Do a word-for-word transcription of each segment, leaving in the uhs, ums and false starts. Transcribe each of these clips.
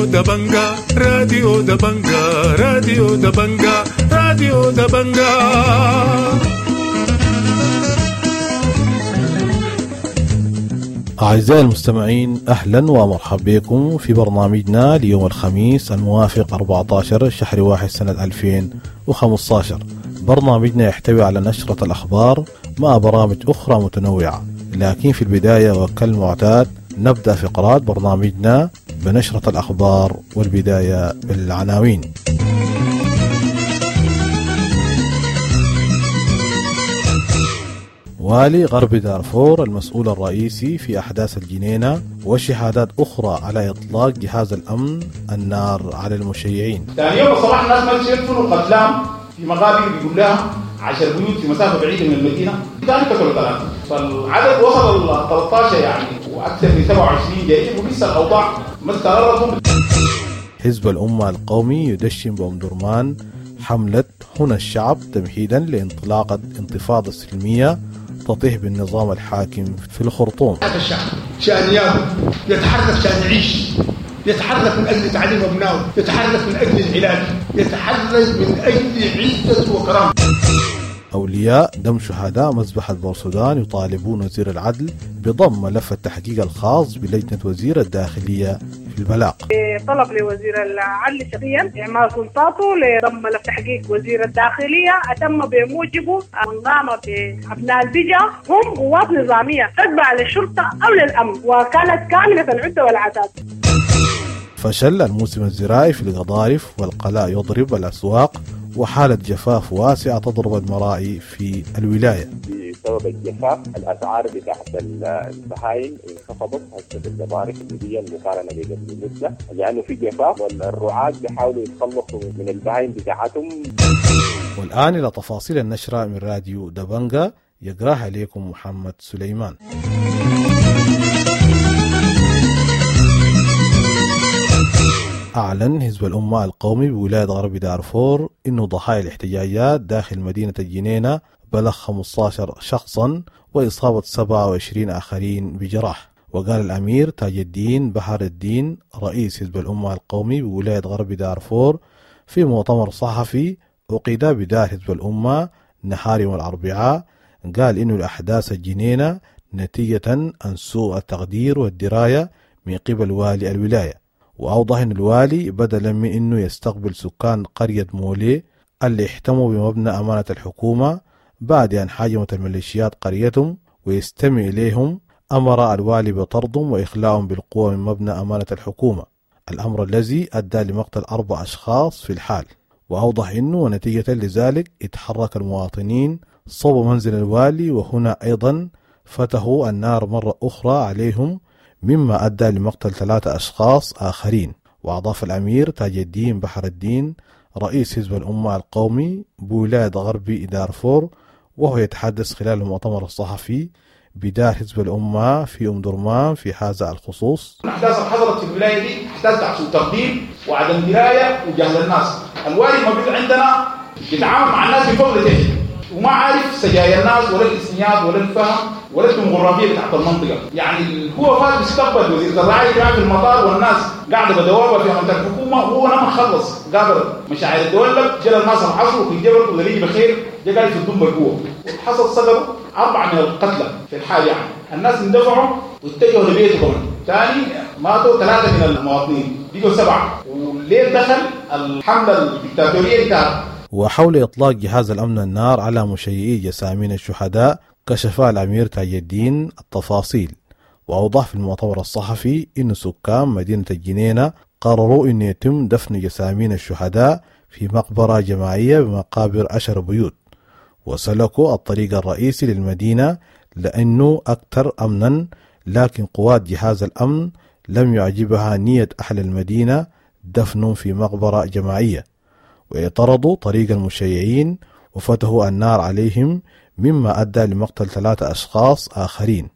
راديو دبنجا راديو دبنجا راديو دبنجا راديو دبنجا. أعزائي المستمعين، أهلا ومرحبا بكم في برنامجنا ليوم الخميس الموافق أربعة عشر شهر واحد سنة ألفين وخمسة عشر. برنامجنا يحتوي على نشرة الأخبار مع برامج أخرى متنوعة، لكن في البداية وكالمعتاد نبدأ فقرات برنامجنا بنشرة الأخبار، والبداية بالعناوين. والي غرب دارفور المسؤول الرئيسي في أحداث الجنينة وشهادات أخرى على إطلاق جهاز الأمن النار على المشيعين. ثاني يوم الصباح الناس ما يدفنوا قتلام في مقابر بيقول لها عشر بيوت في مسافة بعيدة من المدينة، ثاني قتلوا ثلاثة، فالعدد وصل ل ثلاثة عشر يعني وأكثر من سبعة وعشرين جريح، ولسه الأوضاع ما استقرت. حزب الأمة القومي يدشن بأم درمان حملة هنا الشعب تمهيدا لانطلاقة انتفاضة سلمية تطيح بالنظام الحاكم في الخرطوم. الشعب شأن ياكل، يتحرك شأن يعيش، يتحرك من أجل تعليم أبنائه، يتحرك من أجل العلاج، يتحرك من أجل عزة وكرامة. أولياء دم شهداء مذبحة بورسودان يطالبون وزير العدل بضم ملف التحقيق الخاص بلجنة وزير الداخلية في البلاغ. طلب لوزير العدل شخصيا إعمال سلطاته لضم ملف تحقيق وزير الداخلية أتم بموجبه من قام بأبناء البجا هم قوات نظامية تتبع للشرطة أو للأمن، وكانت كاملة العدة والعتاد. فشل الموسم الزراعي في القضارف والقلاء يضرب الأسواق، وحالة جفاف واسعة تضرب المراعي في الولاية. بسبب الجفاف الأسعار بتاعت البهايم انخفضت هسه في القضارف الليبية مقارنة بقبل مدة، لأنه في جفاف والرعاة بيحاولوا يتخلصوا من البهايم بتاعتهم. والآن إلى تفاصيل النشرة من راديو دبنجا يقراها لكم محمد سليمان. أعلن حزب الأمة القومي بولاية غرب دارفور إنه ضحايا الاحتجاجات داخل مدينة الجنينة بلغ خمسة عشر شخصا وإصابة سبعة وعشرين آخرين بجراح. وقال الأمير تاج الدين بحر الدين رئيس حزب الأمة القومي بولاية غرب دارفور في مؤتمر صحفي عقد بدار حزب الأمة نهار يوم الأربعاء، قال إنه الأحداث الجنينة نتيجة عن سوء التقدير والدراية من قبل والي الولاية. وأوضح أن الوالي بدلا من أنه يستقبل سكان قرية مولي اللي احتموا بمبنى أمانة الحكومة بعد أن هاجمت الميليشيات قريتهم ويستمع إليهم، أمر الوالي بطردهم وإخلاءهم بالقوة من مبنى أمانة الحكومة، الأمر الذي أدى لمقتل أربع أشخاص في الحال. وأوضح أنه ونتيجة لذلك اتحرك المواطنين صوب منزل الوالي، وهنا أيضا فتحوا النار مرة أخرى عليهم مما أدى لمقتل ثلاثة أشخاص آخرين. وأضاف الأمير تاج الدين بحر الدين رئيس حزب الأمة القومي بولاية غرب دارفور وهو يتحدث خلال المؤتمر الصحفي بدار حزب الأمة في أم درمان في هذا الخصوص: الأحداث اللي حصلت في الولاية دي أحداث سوء تقدير وعدم دراية وجهل الناس. الوالي موجود عندنا يتعامل مع الناس بفضل وما عارف سجايا الناس ولا الإسنيات ولا الفهم ولا الديموغرافية بتاعت المنطقة. يعني هو فات بيستقبل وزير الرعاية كان في المطار والناس قاعدة بدوابة في منطقة الحكومة، وهو لما خلص قابل مشاعر الدولة جرى الناس العصر وفي الجبل ودليل بخير جا قال في الدم بالقوة، وحصل سقطوا أربعة من القتلى في الحال. يعني الناس اندفعوا واتجهوا لبيته كمان ثاني ماتوا ثلاثة من المواطنين بقوا سبعة، والليل دخل الحملة الدكتاتورية بتاعت. وحول إطلاق جهاز الأمن النار على مشيعي جسامين الشهداء كشف الأمير تاج الدين التفاصيل، وأوضح في المؤتمر الصحفي أن سكان مدينة الجنينة قرروا أن يتم دفن جسامين الشهداء في مقبرة جماعية بمقابر عشر بيوت، وسلكوا الطريق الرئيسي للمدينة لأنه أكثر أمنا، لكن قوات جهاز الأمن لم يعجبها نية أهل المدينة دفنهم في مقبرة جماعية، واعترضوا طريق المشيعين وفتحوا النار عليهم مما أدى لمقتل ثلاثة أشخاص آخرين.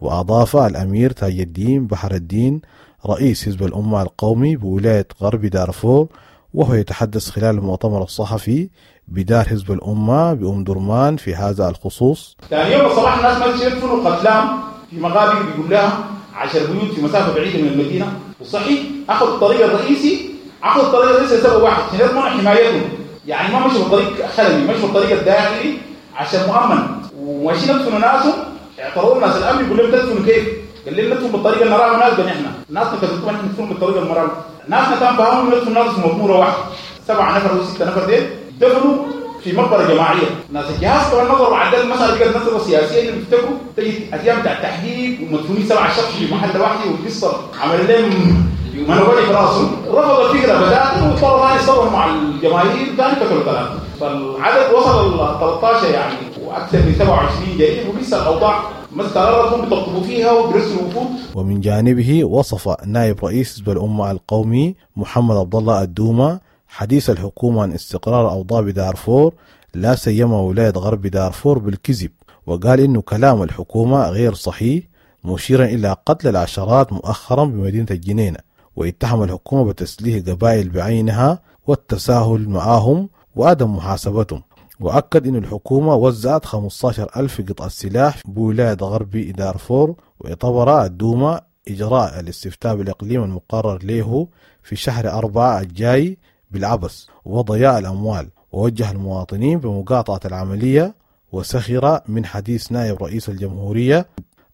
وأضاف الأمير تاج الدين بحر الدين رئيس حزب الأمة القومي بولاية غرب دارفور وهو يتحدث خلال المؤتمر الصحفي بدار حزب الأمة بأم درمان في هذا الخصوص: ثاني يوم الصباح الناس ما يدفنوا قتلام في مقابر بيقول لها عشر بيوت في مسافة بعيدة من المدينة. وصحيح اخذوا الطريق الرئيسي، اخذوا الطريق الرئيسي لسبب واحد، عشان يضمنوا حمايتهم. يعني ما مشوا بالطريق خلوي، مشوا بالطريق الداخلي عشان مؤمن. وماشيين يدفنوا ناسهم، اعترضوا ناس الامن يقول لهم تدفنوا كيف؟ قال لهم ندفن بالطريقة اللي نراها مناسبة، نحن ناسنا كتبتوا نحن ندفن بالطريقة المراه. ناسنا كان فاهمين ندفن ناس في مقبوره واحدة، سبعة نفر او ستة نفر ديل دفنوا في مقبره جماعية. ناس الجهاز طبعا نظروا بعد المسالة بقت نظره سياسية اللي بيفتكروا تجد ايام بتاع التحقيق ومدفونين سبعة شخص في محل واحد، والقصه عمل لهم منولي في راسهم. رفض الفكرة بدات واضطروا ثاني يتصرفوا مع الجماهير، ثاني قتلوا ثلاثة، فالعدد وصل ل ثلاثة عشر يعني واكثر من سبعة وعشرين جريح، ولسه الاوضاع ما استقرت، هم بيطبطبوا فيها وبيرسلوا وفود. ومن جانبه وصف نائب رئيس حزب الامة القومي محمد عبد الله الدومه حديث الحكومة عن استقرار أوضاع بدارفور لا سيما ولاية غرب دارفور بالكذب، وقال إنه كلام الحكومة غير صحيح، مشيرا إلى قتل العشرات مؤخرا بمدينة الجنينة. واتهم الحكومة بتسليح قبائل بعينها والتساهل معهم وعدم محاسبتهم. وأكد إن الحكومة وزعت خمسة عشر ألف قطعة سلاح بولاية غرب دارفور. واعتبر الدومة إجراء الاستفتاء بالإقليم المقرر له في شهر أربعة الجاي بالعبث وضياع الأموال، ووجه المواطنين بمقاطعة العملية. وسخر من حديث نائب رئيس الجمهورية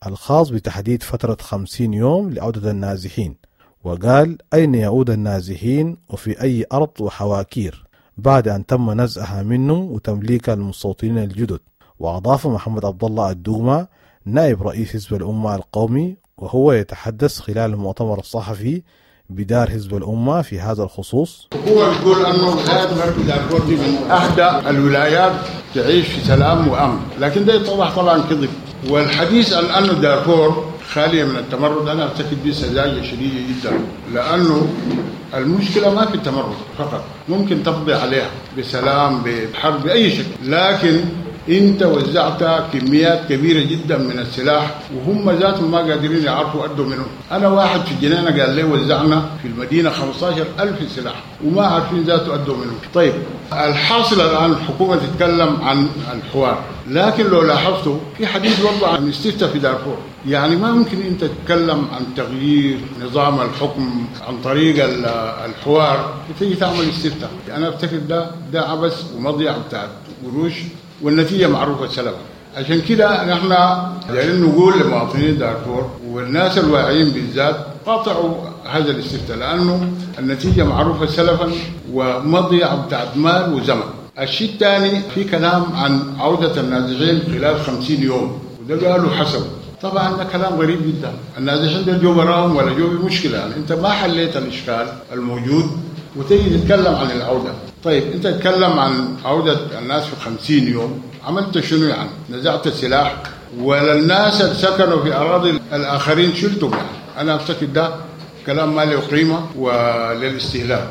الخاص بتحديد فترة خمسين يوم لعودة النازحين، وقال أين يعود النازحين وفي أي أرض وحواكير بعد أن تم نزعها منهم وتمليكها للمستوطنين الجدد. وأضاف محمد عبد الله الدومة نائب رئيس حزب الأمة القومي وهو يتحدث خلال المؤتمر الصحفي بدار حزب الأمة في هذا الخصوص: هو بيقول أنه ولاية غرب دارفور دي من أهدى الولايات تعيش في سلام وأمن، لكن ده يتضح طبعا كذب. والحديث عن أنه دارفور خالية من التمرد أنا أعتقد دي سذاجة شديدة جدا، لأنه المشكلة ما في التمرد فقط، ممكن تقضي عليها بسلام بحرب بأي شكل، لكن انت وزعت كميات كبيرة جدا من السلاح وهم ذاتهم ما قادرين يعرفوا ادوا منه. انا واحد في الجنينة قال لي وزعنا في المدينة خمسة عشر ألف سلاح وما عارفين ذاته ادوا منه. طيب الحاصل الان الحكومة تتكلم عن الحوار، لكن لو لاحظتوا في حديث برضه عن استفتاء في دارفور. يعني ما ممكن انت تتكلم عن تغيير نظام الحكم عن طريق الحوار وتيجي تعمل استفتاء. انا افتكر ده ده عبث ومضيعه بتاعت قروش، والنتيجة معروفة سلبا. عشان كده نحن دايرين نقول لمواطنين دارفور والناس الواعيين بالذات قاطعوا هذا الاستفتاء، لأنه النتيجة معروفة سلفا ومضيعة بتاعت مال وزمن. الشيء الثاني في كلام عن عودة النازحين خلال خمسين يوم، وده قالوا حسب. طبعا ده كلام غريب جدا، النازحين ده جو براهم ولا جو بمشكلة، يعني انت ما حليت الإشكال الموجود وتيجي تتكلم عن العودة. طيب انت تتكلم عن عودة الناس في خمسين يوم، عملت شنو يعني؟ نزعت السلاح ولا الناس اللي سكنوا في أراضي الآخرين شلتهم؟ يعني أنا أفتكر ده كلام ما له قيمة وللاستهلاك.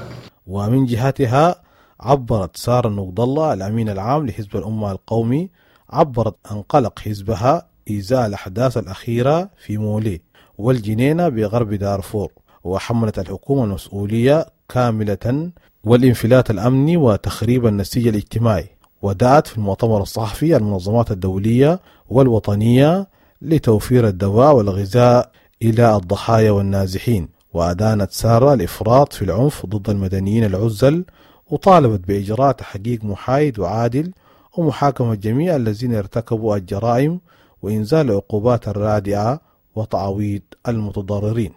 ومن جهتها عبرت سارة نقد الله الأمين العام لحزب الأمة القومي، عبرت عن قلق حزبها إزاء الأحداث الأخيرة في مولي والجنينة بغرب دارفور، وحملت الحكومة المسؤولية كاملة والانفلات الأمني وتخريب النسيج الاجتماعي. ودعت في المؤتمر الصحفي المنظمات الدولية والوطنية لتوفير الدواء والغذاء إلى الضحايا والنازحين. وأدانت سارة الإفراط في العنف ضد المدنيين العزل، وطالبت بإجراء تحقيق محايد وعادل ومحاكمة جميع الذين ارتكبوا الجرائم وإنزال العقوبات الرادعة وتعويض المتضررين.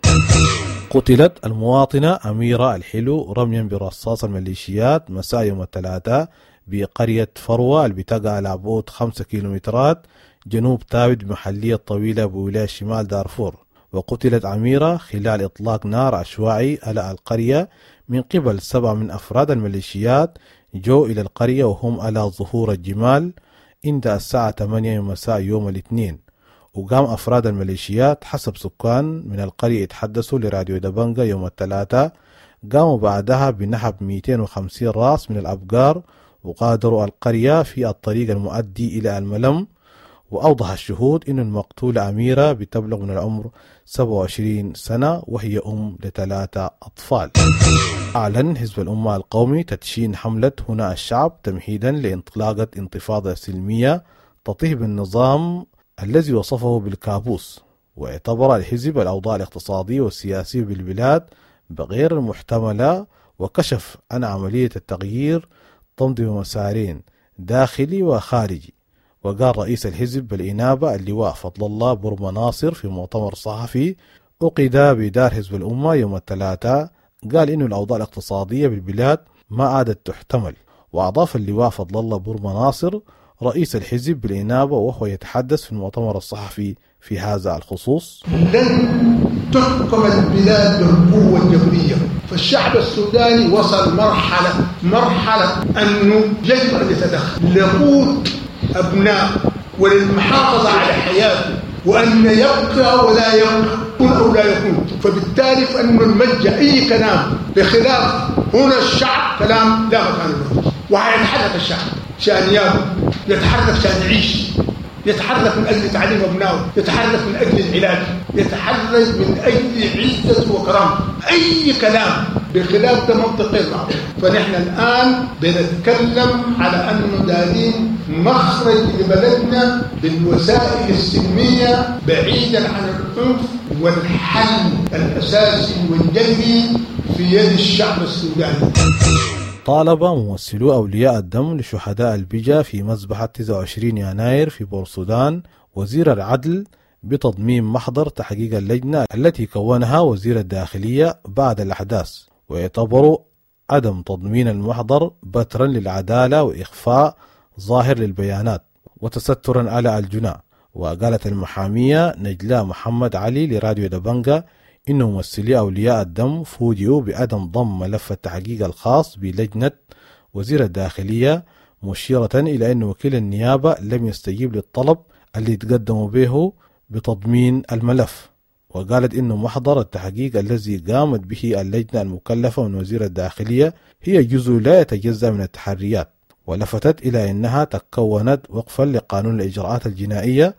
قتلت المواطنة أميرة الحلو رميا برصاص الميليشيات مساء يوم الثلاثاء بقرية فروة اللي بتقع على بعد خمسة كيلومترات جنوب تاود بمحلية طويلة بولاية شمال دارفور. وقتلت أميرة خلال إطلاق نار عشوائي على القرية من قبل سبعة من أفراد الميليشيات جو إلى القرية وهم على ظهور الجمال عند الساعة ثمانية مساء يوم الاثنين. وقام أفراد الميليشيات حسب سكان من القرية يتحدثوا لراديو دبنجا يوم الثلاثاء، قاموا بعدها بنحب مئتين وخمسين راس من الأبقار وغادروا القرية في الطريق المؤدي إلى الملم. وأوضح الشهود أن المقتولة أميرة بتبلغ من العمر سبعة وعشرين سنة وهي أم لثلاثة أطفال. أعلن حزب الأمة القومي تدشين حملة هنا الشعب تمهيدا لانطلاقة انتفاضة سلمية تطيح بالنظام الذي وصفه بالكابوس. واعتبر الحزب الأوضاع الاقتصادية والسياسية بالبلاد بغير المحتملة، وكشف عن عملية التغيير تمضي بمسارين داخلي وخارجي. وقال رئيس الحزب بالإنابة اللواء فضل الله برما ناصر في مؤتمر صحفي عقد بدار حزب الأمة يوم الثلاثاء، قال إنه الأوضاع الاقتصادية بالبلاد ما عادت تحتمل. وأضاف اللواء فضل الله برما ناصر رئيس الحزب بالإنابة وهو يتحدث في المؤتمر الصحفي في هذا الخصوص: لن تحكم البلاد بالقوة الجبرية، فالشعب السوداني وصل مرحلة مرحلة أنه يجب أن يتدخل لقوت أبناء وللمحافظة على حياته، وأن يبقى ولا يبقى أو لا يكون. فبالتالي فإن الملجأ أي كلام بخلاف هنا الشعب كلام لا مكان له، وهيتحرك الشعب شأن ياكل، يتحرك شأن يعيش، يتحرك من أجل تعليم أبنائه، يتحرك من أجل العلاج، يتحرك من أجل عزته وكرامته. أي كلام بخلاف ده منطق غير معقول. فنحن الآن بنتكلم على أنه دارين مخرج لبلدنا بالوسائل السلمية بعيدا عن العنف، والحل الأساسي والجذري في يد الشعب السوداني. طالب ممثلو أولياء الدم لشهداء البجا في مذبحة تسعة وعشرين يناير في بورسودان وزير العدل بتضمين محضر تحقيق اللجنة التي كونها وزير الداخلية بعد الأحداث، ويعتبر عدم تضمين المحضر بترا للعدالة وإخفاء ظاهر للبيانات وتسترا على الجناة. وقالت المحامية نجلاء محمد علي لراديو دبنجا إن ممثلي أولياء الدم فوجئوا بعدم ضم ملف التحقيق الخاص بلجنة وزير الداخلية، مشيرة إلى أن وكيل النيابة لم يستجيب للطلب اللي تقدموا به بتضمين الملف. وقالت إنه محضر التحقيق الذي قامت به اللجنة المكلفة من وزير الداخلية هي جزء لا يتجزأ من التحريات، ولفتت إلى أنها تكونت وقفا لقانون الإجراءات الجنائية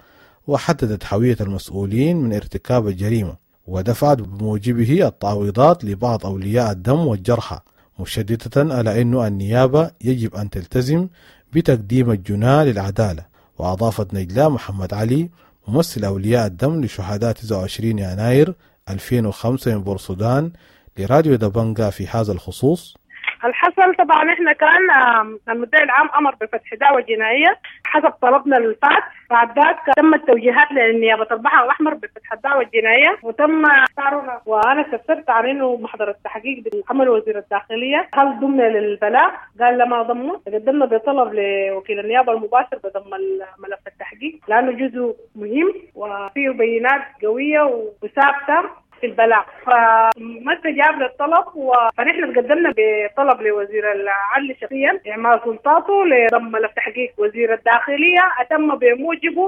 وحددت هوية المسؤولين من ارتكاب الجريمة، ودفعت بموجبه التعويضات لبعض أولياء الدم والجرحى، مشددة على أن النيابة يجب أن تلتزم بتقديم الجناة للعدالة. وأضافت نجلاء محمد علي ممثل أولياء الدم لشهداء تسعة وعشرين يناير ألفين وخمسة من بورسودان لراديو دبنجا في هذا الخصوص: الحصل طبعا احنا كان المدعي العام امر بفتح دعوى جنائيه حسب طلبنا الفات، بعد ذاك تم التوجيهات لنيابه البحر الاحمر بفتح الدعوى الجنائيه وتم اختيارنا، وانا استفسرت عن انه محضر التحقيق بالعمل وزير الداخليه هل ضمن للبلاغ؟ قال لا ما ضمه. قدمنا بطلب لوكيل النيابه المباشر بضم ملف التحقيق لانه جزء مهم وفيه بينات قويه وثابته في البلاغ، فما استجاب للطلب. فنحن تقدمنا بطلب لوزير العدل شخصيا اعمال سلطاته لضم ملف تحقيق وزير الداخليه اتم بموجبه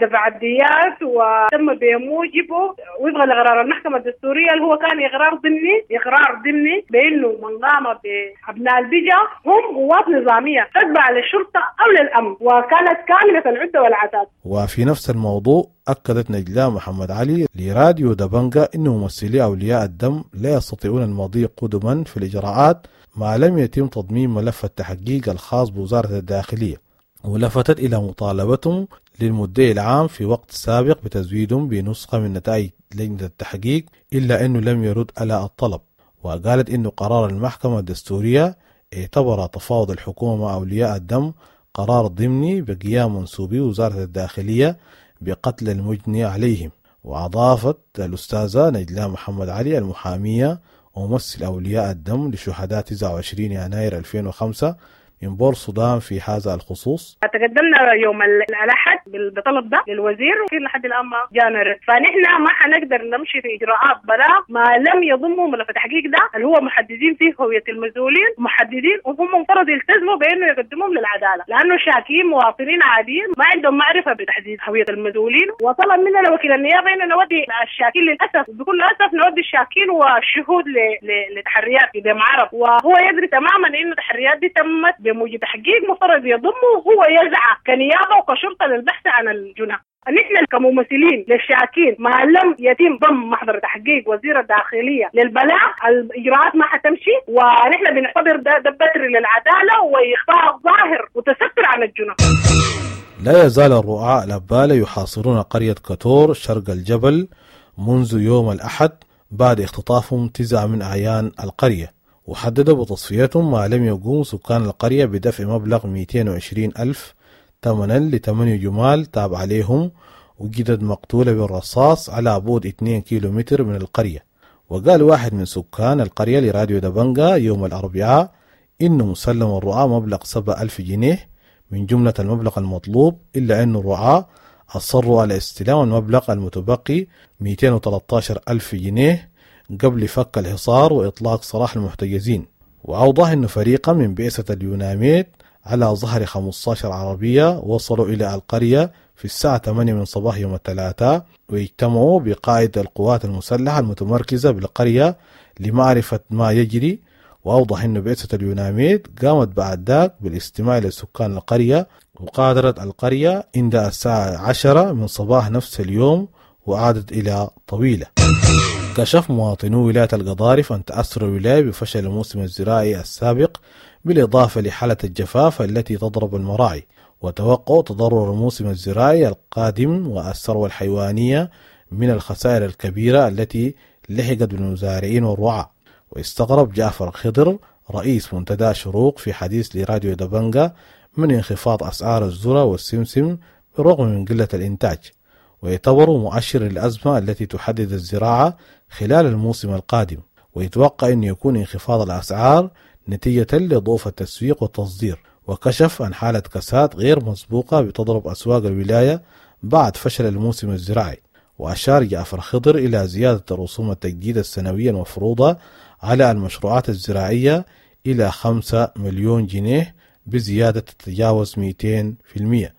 دفع الديات، وتم بموجبه وفقا لقرار المحكمه الدستوريه اللي هو كان اقرار ضمني اقرار ضمني بانه من قام بابناء البجا هم قوات نظاميه تتبع للشرطه او للامن، وكانت كامله العده والعتاد. وفي نفس الموضوع أكدت نجلاء محمد علي لراديو دبنجا أن ممثلي أولياء الدم لا يستطيعون المضي قدما في الإجراءات ما لم يتم تضمين ملف التحقيق الخاص بوزارة الداخلية، ولفتت إلى مطالبتهم للمدعي العام في وقت سابق بتزويدهم بنسخة من نتائج لجنة التحقيق، إلا أنه لم يرد على الطلب. وقالت أن قرار المحكمة الدستورية اعتبر تفاوض الحكومة مع أولياء الدم قرار ضمني بقيام منسوبي وزارة الداخلية بقتل المجني عليهم. وأضافت الأستاذة نجلاء محمد علي المحامية وممثل أولياء الدم لشهداء تسعة وعشرين يناير ألفين وخمسة من بورسودان في هذا الخصوص: تقدمنا يوم الأحد بالطلب ده للوزير وفي لحد الآن ما جانا رد، فنحن ما حنقدر نمشي في إجراءات بلاغ ما لم يضموا ملف التحقيق ده اللي هو محددين فيه هوية المسؤولين، محددين وهم مفترض يلتزموا بأنه يقدموهم للعدالة، لأنه شاكين مواطنين عاديين ما عندهم معرفة بتحديد هوية المسؤولين. وطلب مننا وكيل النيابة إنه نودي الشاكين، للأسف بكل أسف نودي الشاكين والشهود لتحريات في دم عرب، وهو يدري تماما إنه التحريات دي تمت بموجب تحقيق مفترض يضمه وهو يسعى كنيابة وكشرطة للبحث عن الجنى. نحن كممثلين للشاكين ما لم يتم ضم محضر تحقيق وزير الداخلية للبلاغ الإجراءات ما حتمشي، ونحن بنعتبر ده, ده بتر للعدالة وإخفاء ظاهر وتستر عن الجنى. لا يزال الرعاة الأبالة يحاصرون قرية كتور شرق الجبل منذ يوم الأحد بعد اختطافهم تسعة من أعيان القرية، وحددوا بتصفيتهم ما لم يقوم سكان القرية بدفع مبلغ مئتين وعشرين ألف ثمنا لثمانية جمال تابع عليهم وجدت مقتولة بالرصاص على بعد اثنين كيلومتر من القرية. وقال واحد من سكان القرية لراديو دبنجا يوم الأربعاء إنه مسلم الرعاة مبلغ سبعة ألف جنيه من جملة المبلغ المطلوب، إلا أن الرعاة أصروا على استلام المبلغ المتبقي مئتين وثلاثة عشر ألف جنيه قبل فك الحصار وإطلاق سراح المحتجزين. وأوضح أن فريقا من بعثة اليوناميد على ظهر خمسة عشر عربية وصلوا إلى القرية في الساعة ثمانية من صباح يوم الثلاثاء، واجتمعوا بقائد القوات المسلحة المتمركزة بالقرية لمعرفة ما يجري. وأوضح أن بعثة اليوناميد قامت بعد ذاك بالاستماع لسكان القرية، وقادرت القرية عند الساعة عشرة من صباح نفس اليوم وعادت إلى طويلة. كشف مواطنو ولاية القضارف أن تأثر الولاية بفشل الموسم الزراعي السابق، بالإضافة لحالة الجفاف التي تضرب المراعي، وتوقع تضرر الموسم الزراعي القادم والثروة الحيوانية من الخسائر الكبيرة التي لحقت بالمزارعين والرعاة. واستغرب جعفر خضر رئيس منتدى شروق في حديث لراديو دبنجا من انخفاض أسعار الذرة والسمسم بالرغم من قلة الإنتاج، ويعتبر مؤشر للأزمة التي تحدد الزراعة خلال الموسم القادم، ويتوقع أن يكون انخفاض الأسعار نتيجة لضعف التسويق والتصدير. وكشف عن حالة كساد غير مسبوقة بتضرب أسواق الولاية بعد فشل الموسم الزراعي. وأشار جعفر خضر إلى زيادة رسوم التجديد السنوية المفروضة على المشروعات الزراعية إلى خمسة مليون جنيه بزيادة تتجاوز مئتين في المئة،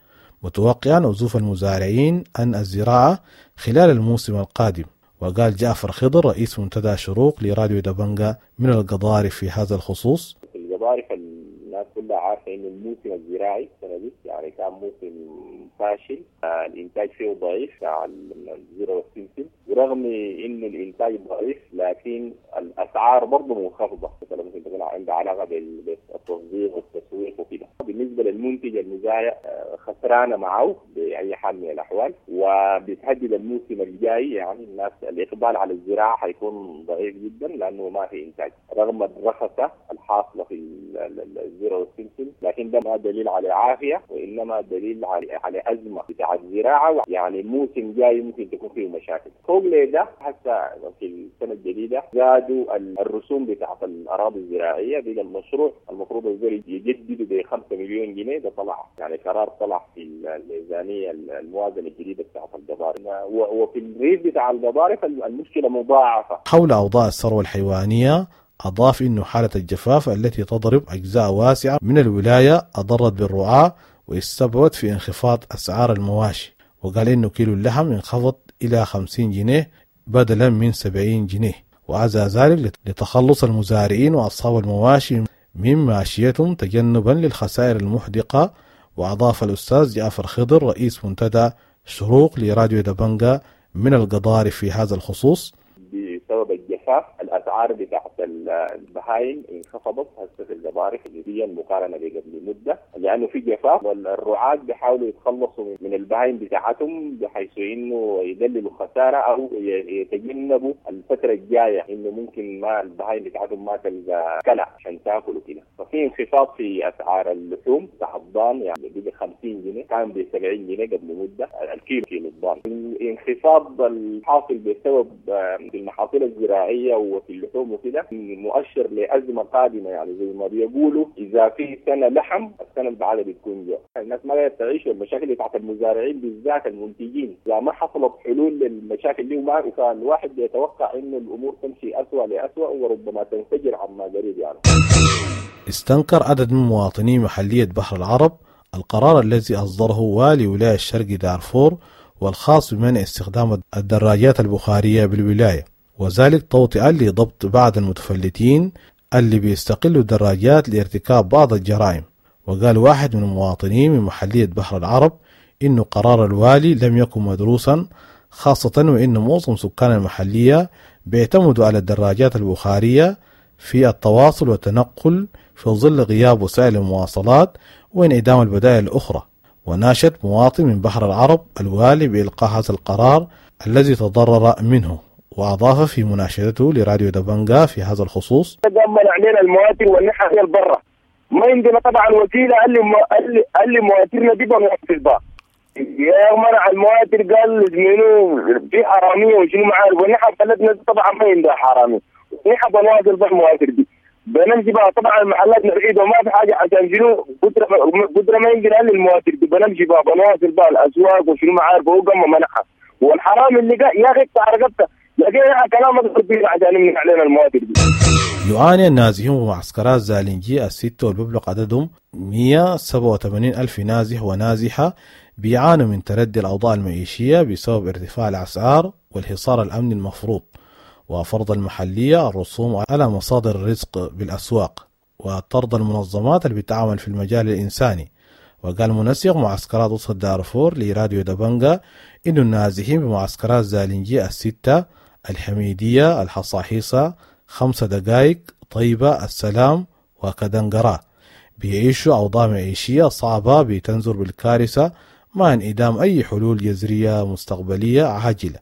متوقعا عزوف المزارعين عن الزراعة خلال الموسم القادم. وقال جعفر خضر رئيس منتدى شروق لراديو دبنجا من القضارف في هذا الخصوص: في القضارف الناس كلها عارفة إنه الموسم الزراعي السنة دي يعني كان موسم فاشل، الإنتاج فيه ضعيف على الذرة والسمسم، ورغم إنه الإنتاج ضعيف لكن الأسعار برضه منخفضة، مثلا ممكن تكون عندها علاقة بالتصدير والتسويق وكده. بالنسبة للمنتج المزارع خسرانة معه بأي حال من الأحوال، وبتهدد الموسم الجاي، يعني الناس الإقبال على الزراعة حيكون ضعيف جدا لأنه ما في إنتاج رغم الرخصة الحاصلة في الذرة والسمسم، لكن ده ما دليل على عافية وإنما دليل على على أزمة بتاع الزراعة، يعني الموسم جاي ممكن تكون فيه مشاكل. فوق لده حتى في السنة الجديدة زادوا الرسوم بتاعت الأراضي الزراعية، بقى المشروع المفروض الزراعي يجددوا ب خمسة مليون جنيه، ده طلع يعني قرار طلع في الميزانية الموازنة الجديدة بتاعت القضارف، وفي الريف بتاع القضارف المشكلة مضاعفة. حول أوضاع الثروة الحيوانية أضاف إنه حالة الجفاف التي تضرب أجزاء واسعة من الولاية أضرت بالرعاة واستبعد في انخفاض أسعار المواشي، وقال إنه كيلو اللحم انخفض إلى خمسين جنيه بدلا من سبعين جنيه، وعزى ذلك لتخلص المزارعين وأصحاب المواشي من ماشيتهم تجنبا للخسائر المحدقة. وأضاف الأستاذ جعفر خضر رئيس منتدى شروق لراديو دبنجا من القضارف في هذا الخصوص: بسبب الجفاف الاسعار بتاعت البهايم انخفضت هسه في القضارف نسبيا مقارنه بقبل مده، لانه في جفاف والرعاة بيحاولوا يتخلصوا من البهايم بتاعتهم بحيث انه يقللوا خساره او يتجنبوا الفتره الجايه انه ممكن ما البهايم بتاعتهم ما تلقى كلع عشان تاكل وكده. ففي انخفاض في اسعار اللحوم بتاع الضان، يعني بقى خمسين جنيه كان ب سبعين جنيه قبل مده الكيلو كيلو الضان. الانخفاض الحاصل بسبب المحاصيل الزراعيه وفي اللحوم وكده مؤشر لازمه قادمه، يعني زي ما بيقولوا اذا في سنه لحم السنه اللي بعدها بتكون جوع. الناس ما قادره تعيش، والمشاكل بتاعت المزارعين بالذات المنتجين اذا ما حصلت حلول للمشاكل دي وما فالواحد بيتوقع انه الامور تمشي اسوء لاسوء وربما تنفجر عما قريب. يعني استنكر عدد من مواطني محليه بحر العرب القرار الذي اصدره والي ولايه الشرق دارفور والخاص بمنع استخدام الدراجات البخارية بالولاية، وذلك توطئا لضبط بعض المتفلتين اللي بيستقلوا الدراجات لارتكاب بعض الجرائم. وقال واحد من المواطنين من محلية بحر العرب إنه قرار الوالي لم يكن مدروسا، خاصة وإن معظم سكان المحلية بيعتمدوا على الدراجات البخارية في التواصل والتنقل في ظل غياب وسائل المواصلات وانعدام البدائل الأخرى. وناشد مواطن من بحر العرب الوالي بإلقاء هذا القرار الذي تضرر منه. وأضاف في مناشدته لراديو دبنجا في هذا الخصوص: قام منع علينا المواتر والنحى البرة، ما عندنا طبعا وسيلة، قال لي قال لي مواترنا دي بنوصل بها. يا منع المواتر قال منو في حرامية وشنو ما عارف، ونحن بلدنا طبعا ما عندها حرامية، نحن بنواصل بالمواتر دي بنمشي بقى طبعا المحلات بعيدة وما في حاجة عشان شنو قدره قدره ما يمكن قال المواتر دي بنمشي بقى بنواصل بقى الاسواق وشنو ما عارف. هو قام منعها، والحرامي اللي قال يا اخي اقطع رقبته، لكن كلام عشان يمنع علينا المواتر دي. يعاني النازحون بمعسكرات زالنجي الستة والببلغ عددهم مئة وسبعة وثمانين ألف نازح ونازحة بيعانوا من تردي الأوضاع المعيشية بسبب ارتفاع الأسعار والحصار الأمني المفروض وفرض المحلية الرسوم على مصادر الرزق بالأسواق وطرد المنظمات اللي بتعمل في المجال الإنساني. وقال منسق معسكرات وسط دارفور لراديو دبنجا إنه النازحين بمعسكرات زالنجي الستة الحميدية الحصاحيصة خمسة دقائق طيبة السلام وكدنقرة بيعيشوا أوضاع معيشية صعبة بتنذر بالكارثة مع انعدام أي حلول جذرية مستقبلية عاجلة،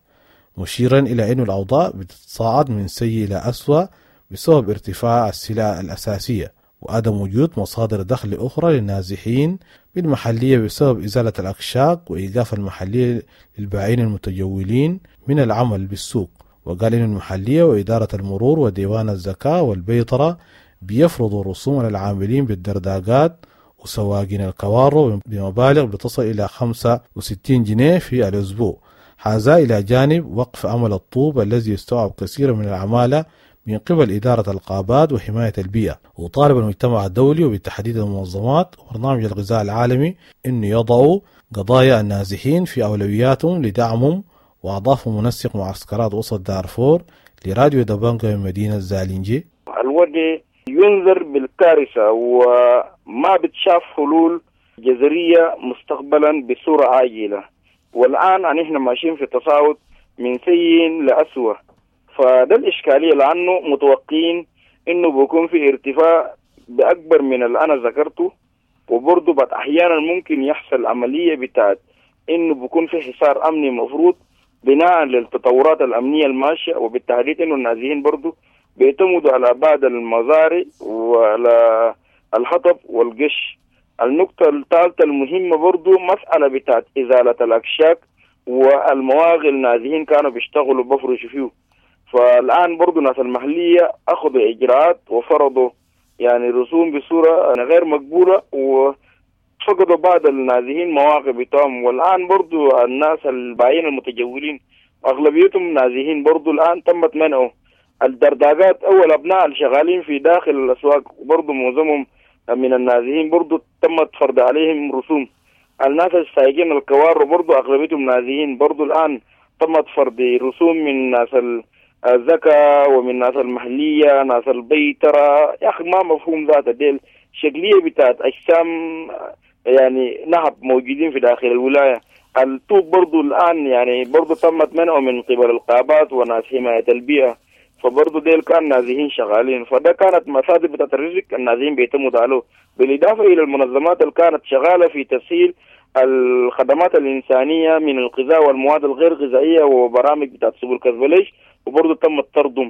مشيرا إلى أن الأوضاع بتتصاعد من سيء إلى أسوأ بسبب ارتفاع السلع الأساسية وعدم وجود مصادر دخل أخرى للنازحين بالمحلية بسبب إزالة الأكشاك وإيقاف المحلية للبائعين المتجولين من العمل بالسوق. وقال إن المحلية وإدارة المرور وديوان الزكاة والبيطرة بيفرضوا رسوم على العاملين بالدرداقات وسواقين الكوارو بمبالغ بتصل إلى خمسة وستين جنيه في الأسبوع، هذا إلى جانب وقف عمل الطوب الذي يستوعب كثيرا من العمالة من قبل إدارة الغابات وحماية البيئة. وطالب المجتمع الدولي وبالتحديد المنظمات وبرنامج الغذاء العالمي أن يضعوا قضايا النازحين في أولوياتهم لدعمهم. وأضاف منسق معسكرات وسط دارفور لراديو دبنجا من مدينة زالنجي: الوضع ينذر بالكارثة وما بتشاف حلول جذرية مستقبلا بصورة عاجلة، والآن نحن ماشيين في تصاعد من سيء لأسوأ. فده الإشكالية، لأنه متوقعين إنه بيكون في ارتفاع بأكبر من اللي أنا ذكرته، وبرضه بعد أحيانا ممكن يحصل عملية بتاعت إنه بيكون في حصار أمني مفروض بناء للتطورات الأمنية الماشية، وبالتحديد إنه النازحين برضه بيعتمدوا على بعض المزارع وعلى الحطب والقش. النقطة الثالثة المهمة برضو مسألة بتاعت إزالة الأكشاك والمواغل النازحين كانوا بيشتغلوا بفرشوا فيه، فالآن برضو ناس المحلية أخذوا إجراءات وفرضوا يعني رسوم بصورة غير مقبولة، وفقدوا بعض النازحين مواقع بتاعهم. والآن برضو الناس البايعين المتجولين أغلبيتهم نازحين برضو الآن تمت منعه. الدرداقات أول أبناء الشغالين في داخل الأسواق برضو معظمهم من النازحين برضو تمت فرض عليهم رسوم. الناس السايقين الكوار برضو أغلبيتهم نازحين برضو الآن تمت فرض رسوم من ناس الزكاة ومن ناس المحلية ناس البيترة. يا أخي ما مفهوم ذات ديل شكلية بتاعت أجسام يعني نهب موجودين في داخل الولاية. الطوب برضو الآن يعني برضو تمت منعه من قبل القابات وناس حماية البيئة، فبرضو ديل كان نازحين شغالين، فده كانت مصادر بتاعت الرزق النازحين بيعتمدوا عليه، بالإضافة إلى المنظمات اللي كانت شغالة في تسهيل الخدمات الإنسانية من الغذاء والمواد الغير غذائية وبرامج بتاعت سبل كزبليش، وبرضو تم طردهم.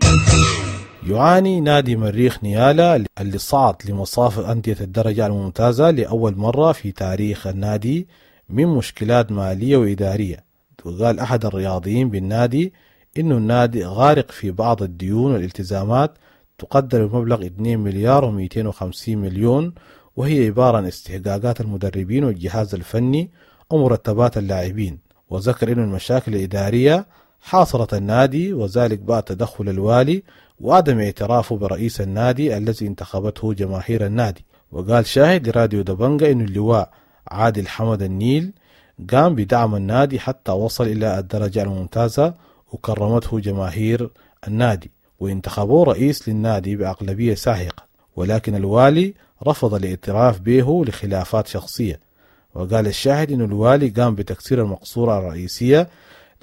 يعاني نادي مريخ نيالا اللي صعد لمصاف أندية الدرجة الممتازة لأول مرة في تاريخ النادي من مشكلات مالية وإدارية. وقال أحد الرياضيين بالنادي إنه النادي غارق في بعض الديون والالتزامات تقدر بمبلغ اثنين مليار ومئتين وخمسين مليون، وهي عبارة عن استحقاقات المدربين والجهاز الفني ومرتبات اللاعبين. وذكر إنه المشاكل الإدارية حاصرت النادي، وذلك بعد تدخل الوالي وعدم اعترافه برئيس النادي الذي انتخبته جماهير النادي. وقال شاهد لراديو دبنجا إنه اللواء عادل حمد النيل قام بدعم النادي حتى وصل إلى الدرجة الممتازة وكرمته جماهير النادي وانتخبوه رئيس للنادي بأغلبية ساحقة، ولكن الوالي رفض الاعتراف به لخلافات شخصية. وقال الشاهد إن الوالي قام بتكسير المقصورة الرئيسية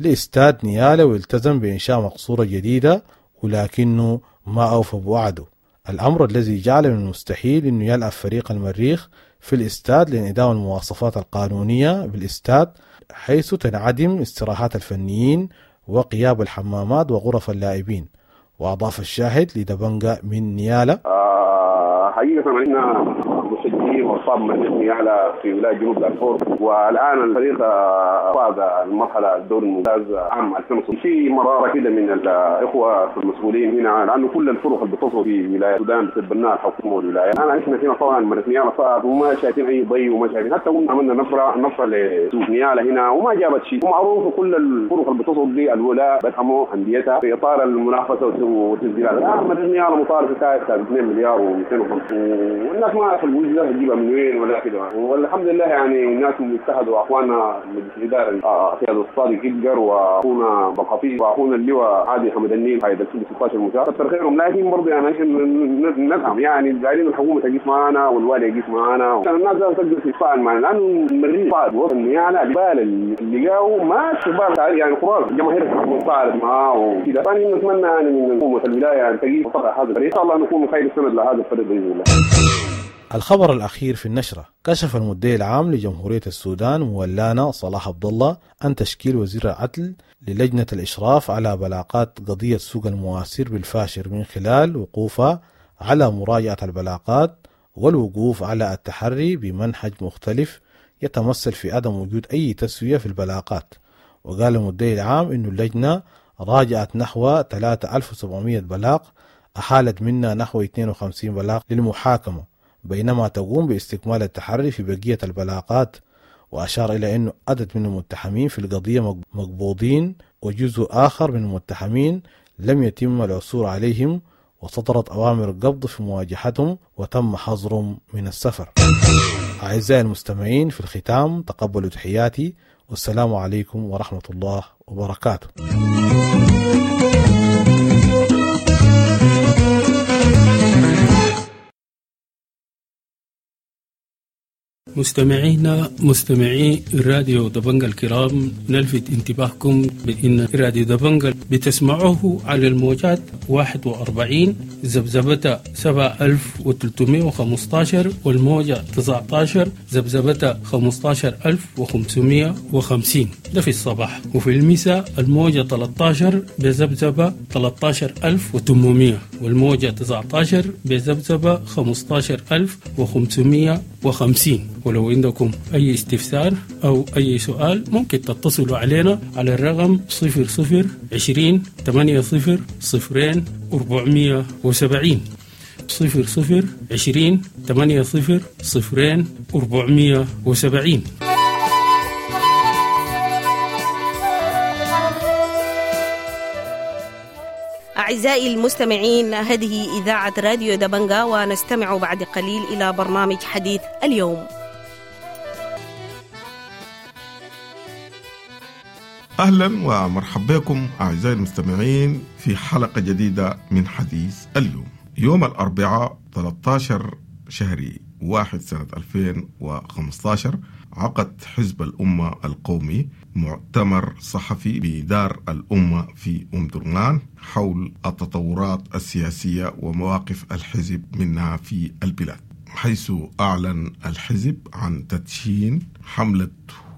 لاستاد نيالا والتزم بإنشاء مقصورة جديدة، ولكنه ما أوفى بوعده، الأمر الذي جعل من المستحيل أنه يلعب فريق المريخ في الاستاد لانعدام المواصفات القانونية بالاستاد، حيث تنعدم استراحات الفنيين وقياب الحمامات وغرف اللاعبين. وأضاف الشاهد لدبنجا من نيالا: آه حقيقة احنا مشجعين واصحاب مريخ نيالا في ولاية جنوب دارفور، والان الفريق فاز المرحلة الدوري الممتاز عام ألفين وستة. في مرارة كده من الاخوة المسؤولين هنا، لانه كل الفرق اللي بتصل في ولاية السودان بتتبناها الحكومة والولاية. الان احنا هنا طبعا مريخ نيالا صعد وما شايفين اي ضي وما شايفين، حتى قلنا عملنا نفره نفره لسوق نيالا هنا وما جابت شيء. ومعروف كل الفرق اللي بتصل دي الولاء بدعموا انديتها في اطار المنافسة والتسجيلات. الان مريخ نيالا مطالب في اثنين مليار ومئتين وخمسين، والناس ما عارفه الوجه تجيبها من وين ولا كده. والحمد لله يعني الناس اجتهدوا، واخواننا مجلس الادارة قيادة الصادق ادجر واخونا بقفي واخونا اللواء عادي حمد النيل قائد ستة عشر مشاة، كثر خيرهم. لكن برضه يعني احنا ندعم، يعني دايرين الحكومة تقيف معنا والوالي يقيف معنا عشان الناس تقدر تتفاعل معنا، لانه المريخ صعد وصل نيالا الجبال اللي لقاه ما شباب يعني خلاص الجماهير تفاعلت معاه وكده. فانا نتمنى يعني من حكومة الولاية ان تقيف وتضع هذا الفريق، ان شاء الله نكون خير سند لهذا الفريق باذن الله. الخبر الأخير في النشرة: كشف المدعي العام لجمهورية السودان مولانا صلاح عبد الله أن تشكيل وزير العدل للجنة الإشراف على بلاغات قضية سوق المواسير بالفاشر من خلال وقوفها على مراجعة البلاغات والوقوف على التحري بمنهج مختلف يتمثل في عدم وجود أي تسوية في البلاغات. وقال المدعي العام إن اللجنة راجعت نحو ثلاثة آلاف وسبعمئة بلاغ، أحالت منها نحو اثنين وخمسين بلاغ للمحاكمة، بينما تقوم باستكمال التحري في بقية البلاغات. وأشار إلى أنه عدد من المتهمين في القضية مقبوضين، وجزء آخر من المتهمين لم يتم العثور عليهم، وصدرت أوامر قبض في مواجهتهم وتم حظرهم من السفر. أعزائي المستمعين، في الختام تقبلوا تحياتي، والسلام عليكم ورحمة الله وبركاته. مستمعينا مستمعي راديو دبنجا الكرام، نلفت انتباهكم بأن راديو دبنجا بتسمعوه على الموجات واحد وأربعين ذبذبة سبعة آلاف وثلاثمئة وخمسة عشر والموجة تسعة عشر ذبذبة خمسة عشر ألف وخمسمئة وخمسين، ده في الصباح. وفي المساء الموجة ثلاثة عشر بذبذبة ثلاثة عشر ألف وثمانمئة والموجة تسعة عشر بذبذبة خمسة عشر ألف وخمسمئة وخمسين. ولو عندكم أي استفسار أو أي سؤال ممكن تتصلوا علينا على الرقم صفر صفر عشرين ثمانية صفر صفرين أربعمية وسبعين، صفر صفر عشرين ثمانية صفر صفرين أربعمية وسبعين. أعزائي المستمعين، هذه إذاعة راديو دبنجا، ونستمع بعد قليل إلى برنامج حديث اليوم. أهلا ومرحبا بكم أعزائي المستمعين في حلقة جديدة من حديث اليوم. يوم الأربعاء ثلاثة عشر شهر واحد سنة ألفين وخمسة عشر عقد حزب الأمة القومي مؤتمر صحفي بدار الأمة في أم درمان حول التطورات السياسية ومواقف الحزب منها في البلاد، حيث أعلن الحزب عن تدشين حملة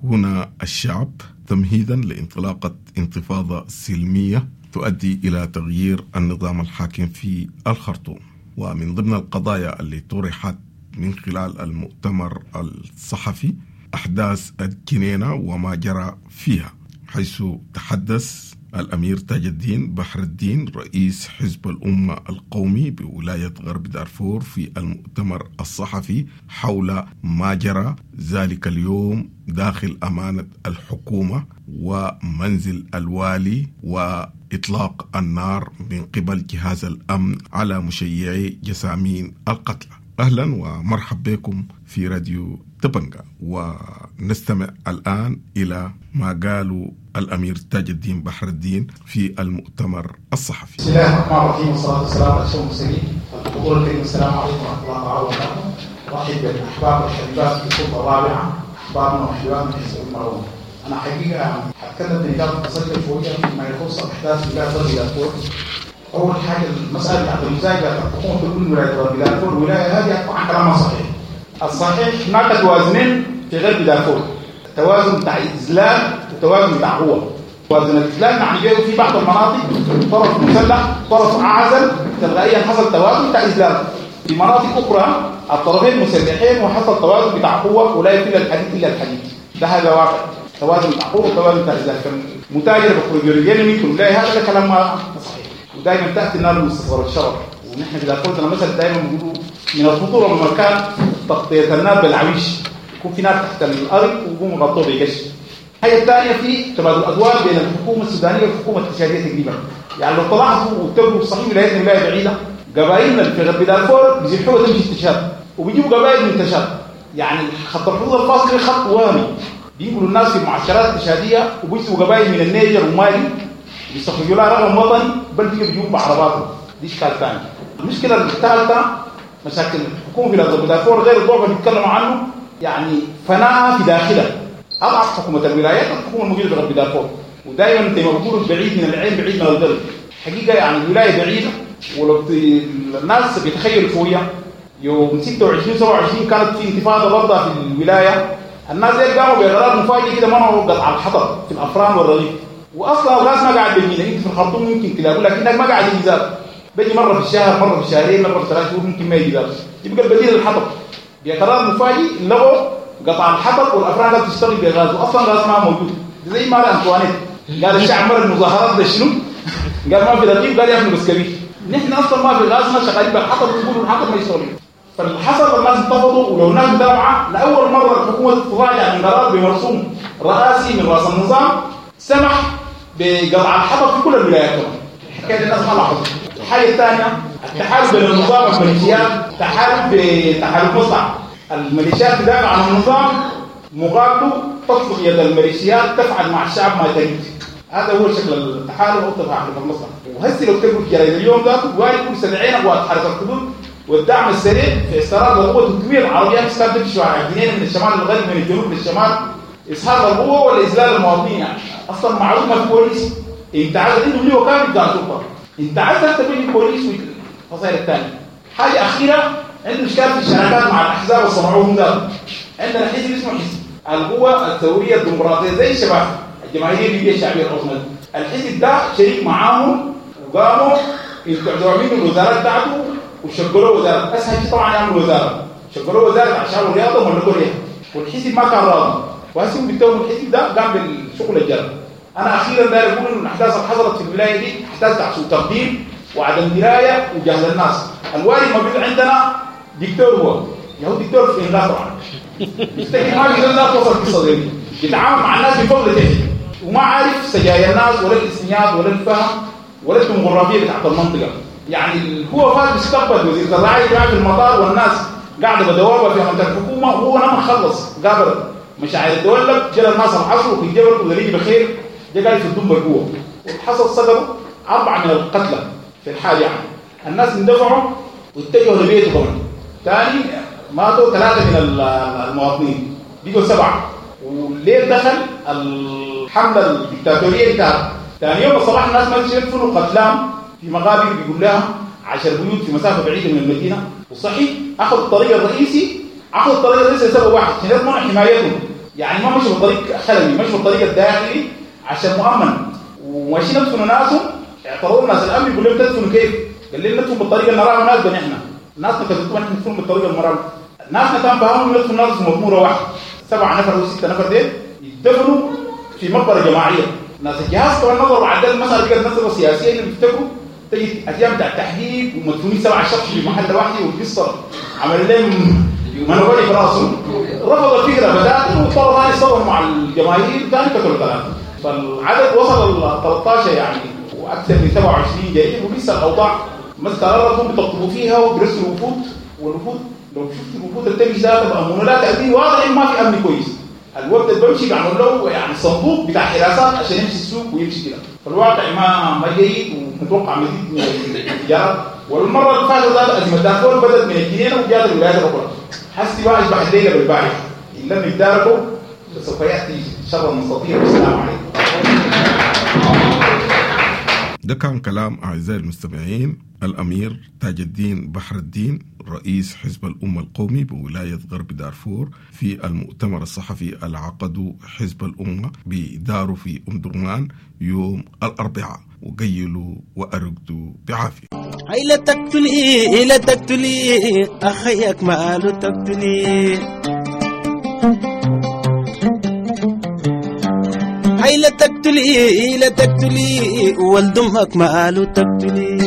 هنا الشعب تمهيدا لانطلاقة انتفاضة سلمية تؤدي إلى تغيير النظام الحاكم في الخرطوم. ومن ضمن القضايا اللي طرحت من خلال المؤتمر الصحفي أحداث الجنينة وما جرى فيها، حيث تحدث الأمير تاج الدين بحر الدين رئيس حزب الأمة القومي بولاية غرب دارفور في المؤتمر الصحفي حول ما جرى ذلك اليوم داخل أمانة الحكومة ومنزل الوالي وإطلاق النار من قبل جهاز الأمن على مشيعي جسامين القتلى. أهلا ومرحبا بكم في راديو دبنجا، ونستمع الآن إلى ما قالوا الأمير تاج الدين بحر الدين في المؤتمر الصحفي. بسم الله الرحمن الرحيم، والصلاة والسلام على أشرف المرسلين. الحضور الكريم، السلام عليكم ورحمة الله تعالى وبركاته. أرحب بالأحباب والحبيبات في السلطة الرابعة، أحبابنا وحبيباتنا في حزب الأمة. أنا حقيقة هتكلم بنقاط قصيرة شوية فيما يخص أحداث ولاية غرب دارفور. أول حاجة المسألة بتاعت المزايدة الحكومة تقول ولاية غرب دارفور الولاية هذه طبعا كلامها صحيح. الصحيح هناك توازنين في غرب دارفور، توازن بتاع إذلال وتوازن بتاع قوة. توازن الإذلال يعني جاي في بعض المناطق طرف مسلح طرف أعزل، تلقائيا حصل توازن بتاع إذلال. في مناطق أخرى الطرفين مسلحين وحصل توازن بتاع قوة، ولا يفل الحديد إلا الحديد. ده هذا واقع، توازن بتاع قوة وتوازن بتاع إذلال. متاجر بخروج منكم لا، هذا كلام ما صحيح. ودائما تأتي النار من مستصغر الشرر، ونحن في دارفور مثلا دائما بنقولوا من الخطورة بالمكان تغطية النار بالعويش، يكون في نار تحت الأرض ويقوموا غطوه بقش. الحاجة الثانية في تبادل أدوار بين الحكومة السودانية والحكومة التشادية تقريبا. يعني لو طلعتوا وتبقوا صحيح ولايتنا ولاية بعيدة، قبائلنا في غرب دارفور بيزحوها تمشي التشاد، وبيجيبوا قبائل من التشاد. يعني خط الحدود الفاصل خط وهمي، بينقلوا الناس في المعسكرات التشادية وبيجيبوا قبائل من النيجر ومالي بيستخرجوا لها رقم وطني، بل بيجوا بيجيبوا بعرباتهم. دي اشكال ثاني. المشكلة الثالثة مشاكل الحكومة في غرب دارفور غير الضعف اللي بيتكلموا عنه، يعني فناء في داخلها. اضعف حكومة الولايات الحكومة الموجودة في غرب دارفور، ودائما زي ما بيقولوا بعيد من العين بعيد من القلب. حقيقة يعني الولاية بعيدة، ولو الناس بيتخيلوا شوية يوم ستة وعشرين سبعة وعشرين كانت في انتفاضة برضه في الولاية، الناس دي قاموا بقرار مفاجئ كده منعوا قطع الحطب في الافران والرغيف، واصلا الغاز ما قاعد بيجينا. انت في الخرطوم ممكن تلاقوا، لكنك ما قاعد يجي زاد، بيجي مرة في الشهر، مرة في شهرين، مرة في ثلاث شهور، ممكن ما يجي زاد. يبقى البديل الحطب. بقرار مفاجئ لغوا قطع الحطب والافران قاعدة تشتغل بغاز، واصلا غاز ما موجود. زي ما قال انطوانيت، قال الشعب مر المظاهرات ده شنو؟ قال ما في رغيف، قال يا اخي بسكويت. نحن اصلا ما في غاز، ما شغالين بالحطب، بيقولوا الحطب ما يشتغل. فالحصل الناس انتفضوا، ولو الناس متابعه لاول مرة الحكومة تتراجع من قرار بمرسوم رئاسي من راس النظام سمح بقطع الحطب في كل الولايات. كمان حكاية الناس ما لاحظت. الحاجة الثانية التحالف بين النظام والميليشيات، تحالف بتحالف مصلحة. الميليشيات تدافع عن النظام، مقابله تطلق يد الميليشيات تفعل مع الشعب ما تريد. هذا هو شكل التحالف او تحالف المصلحة. وهسه لو تقول في جرايد اليوم ذاته وايد كل سبعين قوات حرس الحدود والدعم السريع في استعراض القوة ثلاثمية عربيات كانت تمشي على الجنينة من الشمال للغرب من الجنوب للشمال، اسهال القوة ولا المواطنين. يعني اصلا معروف ما في بوليس، انت عايز عندهم ليه وكالة بتاع الشرطة، انت عايز تبني البوليس والفصائل الثانية. حاجة اخيرة، عنده اشكال في الشراكات مع الاحزاب اللي صنعوهم ده. عندنا حزب اسمه حزب القوة الثورية الديمقراطية زي الشباب الجماهيرية الليبية الشعبية العظمى. الحزب ده شريك معاهم وقاموا يستعدوا منه الوزارات بتاعته وشغلوا وزارة. اسهل شيء طبعا يعملوا وزارة، شغلوا وزارة عشان الرياضة وملكوا ليها، والحزب ما كان راضي. وهسه بيتهم الحزب ده قام بالشغل الجرى. انا اخيرا داير اقول ان الاحداث اللي حصلت في الولاية دي احداث تاع سوء تقدير وعدم دراية وجهل الناس. الوالي موجود عندنا دكتور، هو يهو دكتور في الانقاذ طبعا، يفتكر ما بيقدر الناس توصل القصة دي، يتعامل مع الناس بفضل تاني وما عارف سجايا الناس ولا الاسميات ولا الفهم ولا الديموغرافيه بتاعت المنطقة. يعني هو فات بيستقبل وزير الزراعة قاعد في المطار والناس قاعدة بدوابه في منطقة الحكومة، وهو لما خلص قابل مشاعر الدولة جرى الناس العصر وفي الجبل ودريج بخير جا قاعد في الدنبر جوه، وحصل سقطوا اربعة من القتلى في الحال. يعني الناس اندفعوا واتجهوا لبيته كمان ثاني، ماتوا ثلاثة من المواطنين بقوا سبعة. والليل دخل الحملة الدكتاتورية بتاعته. ثاني يوم الصباح الناس ما يدفنوا قتلام في مقابر بيقول لها عشر بيوت في مسافة بعيدة من المدينة. وصحيح اخذ الطريق الرئيسي، اخذ الطريق الرئيسي لسبب واحد عشان يضمن حمايتهم. يعني ما مشوا بالطريق خلوي، مشوا بالطريق الداخلي عشان مؤمن. وماشيين يدفنوا ناسهم، اعترضوا الناس الامن يقول لهم تدفنوا كيف؟ قال لهم ندفن بالطريقة اللي نراها مناسبة نحن. ناسنا كتبتوا نحن ندفن بالطريقة المرأة. ناسنا كان فاهمهم ندفن ناس في مطموره واحدة، سبعة نفر او ستة نفر ديل يدفنوا في مقبره جماعية. ناس الجهاز طبعا نظروا عدل المسالة بقت مسالة سياسية اللي بيفتكروا تجي ايام بتاع التحديد ومدفونين سبعة شخص في محل واحد، والقصه عمل لهم منوري في راسهم. رفض الفكرة بدات واضطر ثاني يصور مع الجماهير ثاني قتلوا ثلاثة. فالعدد وصل ل ثلاثة عشر يعني واكثر من سبعة وعشرين جريح، ولسه الاوضاع ما استقرت. هم بيطبقوا فيها وبيرسلوا وفود، والوفود لو شفت الوفود اللي بتمشي ذاتها بامونه لا تامين، واضح انه ما في امن كويس. الوفد اللي بمشي بيعمل له يعني صندوق بتاع حراسات عشان يمشي السوق ويمشي كده. فالواقع ما ما جيد ومتوقع مزيد من الانفجارات. والمرة اللي فاتت ذات ازمة دارفور بدات من الجنينة وجات الولايات الاخرى. حسي بقى اشبح الليلة بالبارحه، ان لم يتداركوا فسوف ياتي شر مستطير. والسلام عليكم. ده ده كان كلام أعزائي المستمعين الأمير تاج الدين بحر الدين رئيس حزب الأمة القومي بولاية غرب دارفور في المؤتمر الصحفي العقد حزب الأمة بداره في أم درمان يوم الأربعاء. وقيلوا وأرقدوا بعافية. هاي لا تقتلي لا تقتلي أخيك ماله تقتلي، هاي لا تقتلي لا تقتلي ولد أمك ماله تقتلي،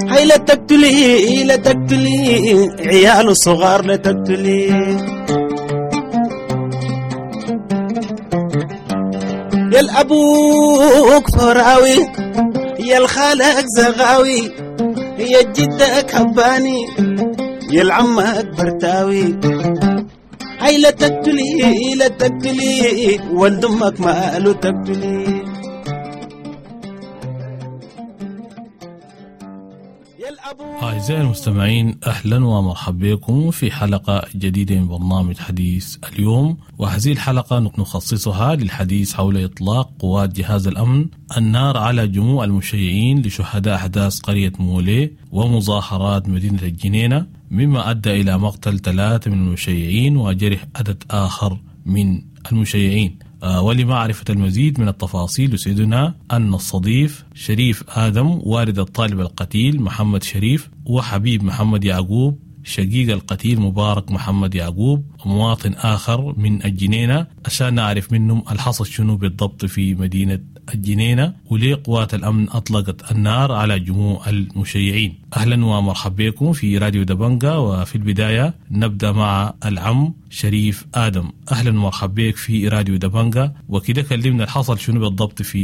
هاي لا تقتلي لا تقتلي عياله صغار لا تقتلي، يا الأبوك فراوي يا الخالك زغاوي يا جدك هباني يا العمك برتاوي، هاي لا تقتلي لا تقتلي ولد أمك ماله تقتلي. أعزائي المستمعين، أهلا ومرحبا بكم في حلقة جديدة من برنامج حديث اليوم. وهذه الحلقة نخصصها للحديث حول إطلاق قوات جهاز الأمن النار على جموع المشيعين لشهداء أحداث قرية مولي ومظاهرات مدينة الجنينة، مما أدى إلى مقتل ثلاثة من المشيعين وجرح عدد آخر من المشيعين. ولمعرفة المزيد من التفاصيل يسعدنا أن نستضيف شريف آدم والد الطالب القتيل محمد شريف، وحبيب محمد يعقوب شقيق القتيل مبارك محمد يعقوب، مواطن آخر من الجنينة، عشان نعرف منهم الحصل شنو بالضبط في مدينة الجنينة وليه قوات الأمن أطلقت النار على جموع المشيعين. أهلا ومرحبا بكم في راديو دبنجا. وفي البداية نبدأ مع العم شريف آدم. أهلا ومرحبا بك في راديو دبنجا. وكده كلمنا الحصل شنو بالضبط في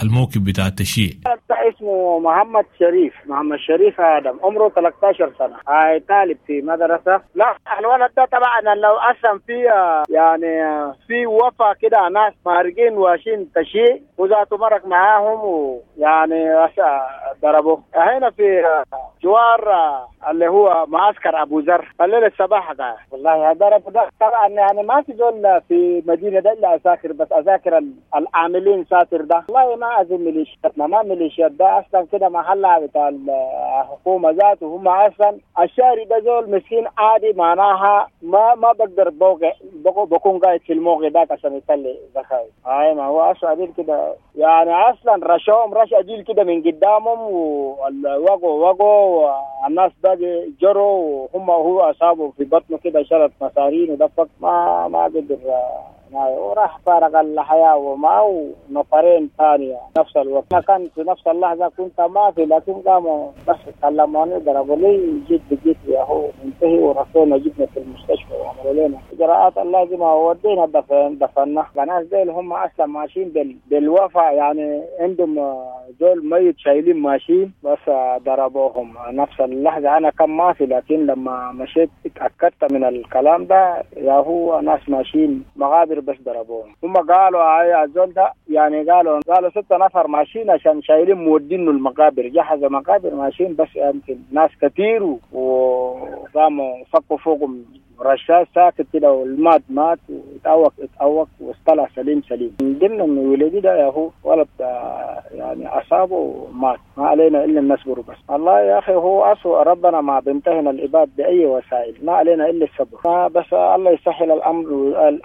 الموكب بتاع التشييع. اسمه محمد شريف، محمد شريف آدم، عمره ثلاثة عشر سنة، هاي طالب في مدرسة. لا الولد ده طبعا لو أصلا في يعني في وفا كده ناس مارقين واشين تشييع وذاته مرق معاهم ويعني ضربوه هنا في جوار اللي هو معسكر أبو ذر الليلة الصباح. والله ضرب ده طبعا يعني ما في زول في مدينة ده إلا أساكر، بس أساكر العاملين ساتر ده. والله ما أظن ميليشياتنا، ما ميليشيات ده أصلا كده محلها بتاع الحكومة ذاته. هم أصلا الشاري ده زول مسكين عادي، معناها ما ما بقدر بوقع بكون قاعد في الموقع ده عشان يطلع ذخائر. هاي ما هو أصلا عديل كده يعني، أصلا رشاهم رش عديل كده من قدامهم ووقعوا وقعوا والناس باقي جروا وهم هو أصابه في بطنه كده شرط مسارين ودفق ما ما قدر وراح فارق الحياة ومعه نفرين ثانية نفس الوقت. أنا كان في نفس اللحظة كنت ما في، لكن قاموا بس كلموني ضربوا لي جيت بجيت يا هو انتهي ورسونا جبنا في المستشفى وعملوا لنا إجراءات اللازمة وودينا دفن دفنا. الناس ديل هم أصلا ماشيين بال بالوفا يعني، عندهم زول ميت شايلين ماشيين بس ضربوهم نفس اللحظة. أنا كان ما في، لكن لما مشيت اتأكدت من الكلام ده يا هو ناس ماشيين مغابر بس ضربوهم. هم قالوا هاي الزول ده يعني قالوا قالوا ستة نفر ماشيين عشان شايلين مودينه المقابر، جهزوا مقابر ماشيين بس يمكن ناس كتير وقاموا فكوا فوقهم رشاش ساكت كده والمات مات واتأوك اتأوك واصطلع سليم سليم. من ضمن ولدي ده يا هو ولد يعني أصابه مات، ما علينا إلا نصبر بس. الله يا أخي هو أسوأ، ربنا ما بيمتهن العباد بأي وسائل، ما علينا إلا الصبر بس. الله يسهل الأمر،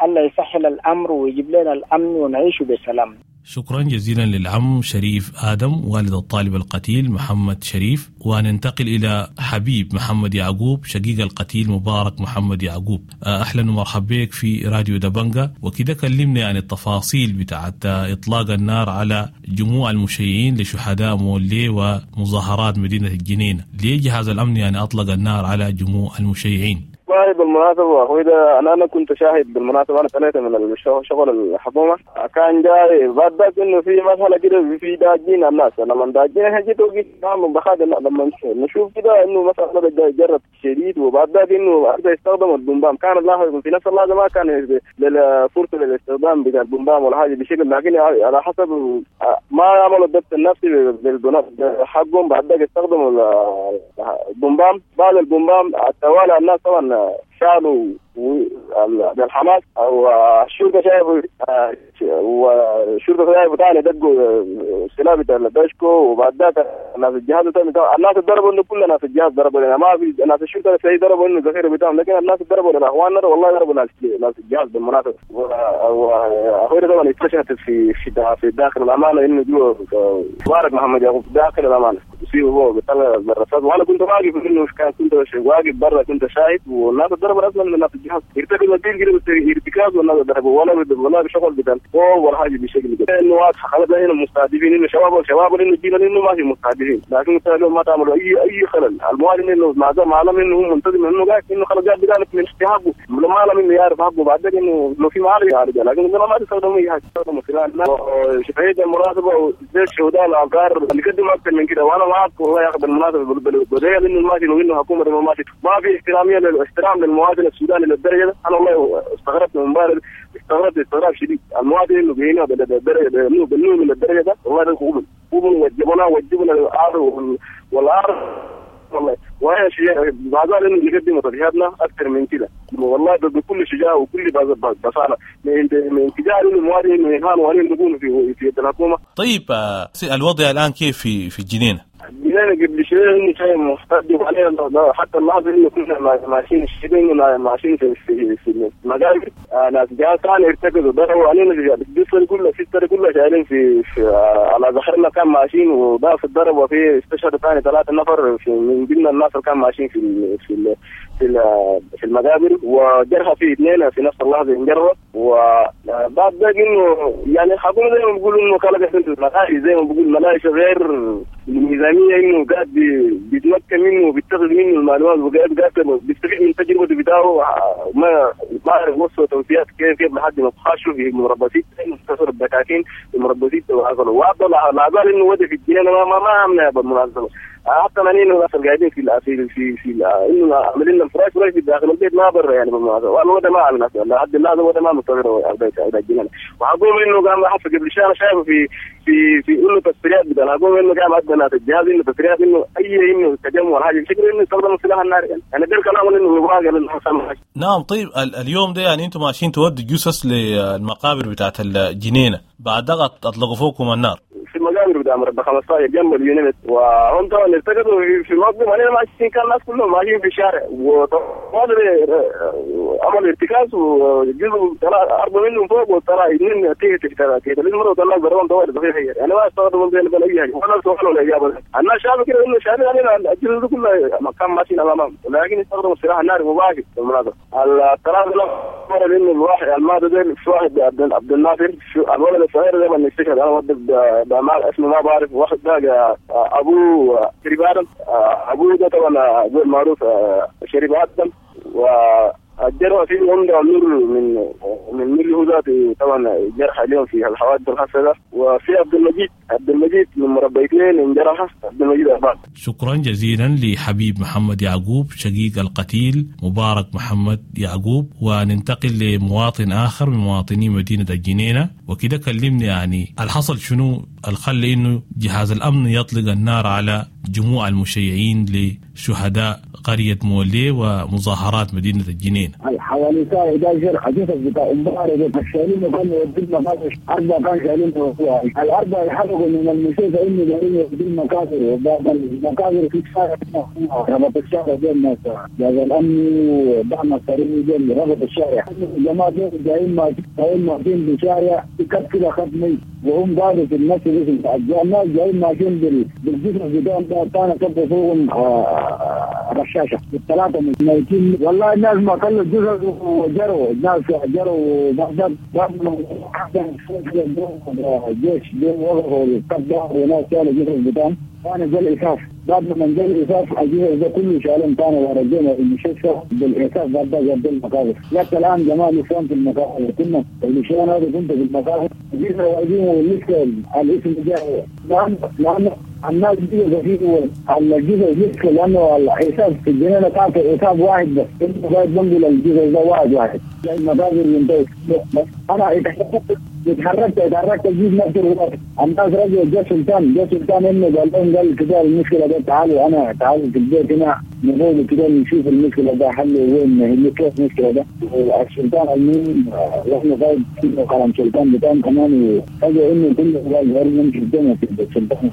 الله يسهل الأمر ويجيب لنا الأمن ونعيش بسلام. شكرا جزيلا للعم شريف آدم والد الطالب القتيل محمد شريف. وننتقل إلى حبيب محمد يعقوب شقيق القتيل مبارك محمد يعقوب. أهلا ومرحبا بك في راديو دبنجا. وكده كلمنا عن التفاصيل بتاعت إطلاق النار على جموع المشيعين لشهداء مولي ومظاهرات مدينة الجنينة. ليه جهاز الأمن يعني أطلق النار على جموع المشيعين؟ والله بالمناسبة أخوي ده أنا أنا كنت شاهد بالمناسبة، أنا طلعت من شغل الحكومة كان جاي بعد ذاك إنه في مسألة كده في داجين الناس، لما داجين إحنا جيت وقيت نعمل بخاد لما نشوف كده إنه مثلا جرب شديد، وبعد ذاك إنه أبدأ يستخدم البومبام. كان الله في نفس اللحظة ما كان فرصة للاستخدام بتاع البومبام ولا حاجة بشكل، لكن على حسب ما عملوا الضبط النفسي بالبناء حقهم بعد ذاك استخدموا البومبام. بعد البومبام التوالى الناس طبعا شالوا بالحماس والشرطة شايفوا والشرطة شايفوا ثاني دقوا السلاح بتاع الدشكو، وبعد ذاك ناس الجهاز الناس ضربوا انه كل ناس الجهاز ضربوا لنا، ما في ناس الشرطة في ضربوا انه الذخيره بتاعهم، لكن الناس ضربوا لنا اخواننا والله ضربوا ناس ناس الجهاز بالمناسبة. واخوي طبعا اكتشفت في في في داخل الامانة انه جوا مبارك محمد يعقوب داخل الامانة يصيبه هو بيطلع بالرصاص، وانا كنت واقف انه كان كنت واقف برا كنت شاهد، والناس ضربوا اصلا من ناس الجهاز ارتكب الدين كده ارتكاز، والناس ضربوا ولا ولا بشغل بتاع ولا حاجة بشكل كده انه واضحة خلاص هنا مستهدفين انه شباب شباب انه الجيل انه ما في مستهدفين، لكن ما تعملوا اي اي خلل. المواطن انه مع معلم انه هو منتظم انه قاعد انه خلاص قاعد بيعرف من حقه، لما انه يعرف حقه بعد انه لو في معالجة يعالجها، لكن ما تستخدموا اي حاجة تستخدموا سلاح شفعيه المناسبة وزي الشهداء العقار اللي قدموا اكثر من كده. وانا معك والله يا اخي بالمناسبة بداية انه ماشي وانه حكومة ما ماشي ما في احتراميه للاحترام للمواطن السوداني للدرجة ده. انا والله استغربت من امبارح، استغربت استغراب شديد المواطن انه بينا بالدرجة انه بالنوم من الدرجة ده والله ده قبل قبل وجبنا وجبنا العار والعار والله. وهي شيء بعد ذلك انه نقدم تضحياتنا اكثر من كده والله بكل شجاعة وكل بصاله من انتجار انه المواطن انه يهان وين نكون في في يد الحكومة. طيب الوضع الان كيف في في الجنينة؟ الجنينة قبل شوية انه شيء مستهدف علينا حتى اللحظة انه كنا ماشيين الشيبين ماشيين في في في المقابر ناس جهاز ثاني ارتكزوا ضربوا علينا الجسر كله السيستر كله شايلين في, في على ظهرنا كان ماشيين وضاف الضرب، وفي استشهد ثاني ثلاثة نفر في من ضمن الناس اللي كان ماشيين في في في في المقابر، وجرحى في اثنين في نفس اللحظة انجروا. وبعد ذلك انه يعني الحكومة زي ما بيقولوا انه خلقت الملاهي زي ما بيقول ملاهي غير الميزانية انه قاعد بيتمكن منه وبيتخذ منه المعلومات وقاعد قاعد بيستفيد من تجربته بتاعه، ما ما اعرف وصلوا توصيات كيف كيف لحد ما خشوا في مربى ستة انتصروا الدكاكين في مربى ستة وحصلوا وعبد الله عبال انه ودي في الجنينة ما ما, ما عملنا بالمناسبة حتى مانين الناس اللي قاعدين في في في في انه عاملين لنا فراش فراش في داخل البيت ما برا يعني بالمناسبة، والوضع ما عملنا لحد اللحظة الوضع ما مستقر البيت الى الجنينة. وحقوم انه قام حتى قبل شهر شايفه في في في انه تصريحات بتاع الحكومة انه قام ادى ناس الجهاز انه تصريحات انه اي انه تجمع ولا حاجة بشكل انه يستخدم السلاح الناري يعني يعني ده الكلام انه يبغى للحسن. نعم طيب اليوم ده يعني انتم ماشيين تودوا جثث للمقابر بتاعت الجنينة، بعد ضغط اطلقوا فوقكم النار في المقابر بتاع مربع خمسة عشر جنب اليونت، وهم طبعا ارتكزوا في الموقف علينا ماشيين كان الناس كلهم ماشيين في الشارع وطبعا عمل ارتكاز وجزء طلع أربعة منهم فوق وطلع اثنين تحت تحت المرة وطلع ضربهم طوال صحيح يعني ما استخدموا زي ولا أي حاجة ولا سؤال ولا إجابة. الناس شافوا كده إنه شافوا علينا الجزء ده كله كان ماشيين أمامهم، ولكن استخدموا السلاح الناري مباشر بالمناسبة. الثلاثة مرة لأنه الواحد الماضي ده في واحد عبد الناصر الولد الصغير ده من استشهد أنا ودي ما اسمه ما بعرف، واحد ده ابوه شريف ادم، ابوه ده طبعا زي المعروف شريف ادم، والجرح فيه عمده نور من من ملي هو ذاته طبعا جرح اليوم في الحوادث الخاصة ده. وفي عبد المجيد عبد المجيد من مربى اثنين انجرح عبد المجيد أربعة. شكرا جزيلا لحبيب محمد يعقوب شقيق القتيل مبارك محمد يعقوب. وننتقل لمواطن آخر من مواطني مدينة الجنينة، وكده كلمني يعني الحصل شنو الخلي إنه جهاز الأمن يطلق النار على جموع المشيعين لشهداء قرية مولي ومظاهرات مدينة الجنينة. حوالي الساعة إحدى عشرة حديثة بتاع امبارح شايلين وكانوا يودوا المقابر، أربعة كانوا شايلين الأربعة يحرقوا من المستشفى إنه جايين يودوا المقابر، وبعد المقابر في الشارع ربط الشارع بين الناس جهاز الأمن ودعم السريع بين ربط الشارع، الجماعة دول جايين جايين ماشيين بالشارع كده خط ميت وهم قالوا في الناس الناس جايين ماشيين بالجسم بتاعهم ده كان كبوا فوقهم رشاشة الثلاثة ميتين والله. الناس ما خلوا الجثث وجروا، الناس جروا وبعد الجيش وقفوا القبضة وناس شالوا الجثث بتاعهم. كان جا الإسعاف، بعد ما جا الإسعاف الجثث ده كله شالهم كانوا ورجعنا المستشفى بالإسعاف. بعد ده جاب المقابر، لكن الآن جماعة لسان في المقابر كنا اللي هذا كنت في المقابر جينا واقفين ولسه الاسم جاي لأن لأن الناس دي فيه على الجزء لسه لأنه الحساب في الجنينة كان في حساب واحد بس إنه قاعد بنقل الجزء ده واحد واحد زي المقابر ينتهي. أنا اتحركت اتحركت جيت نفس الوقت الناس رجعوا جا سلطان جا سلطان انه قال لهم قال كده المشكلة ده تعالوا انا تعالوا في البيت هنا نقول كده نشوف المشكلة ده حل وين هي كيف المشكلة ده. السلطان المهم واحنا قاعد كلام سلطان بتاعهم كمان فجاة انه كله قال غير نمشي الدنيا في السلطان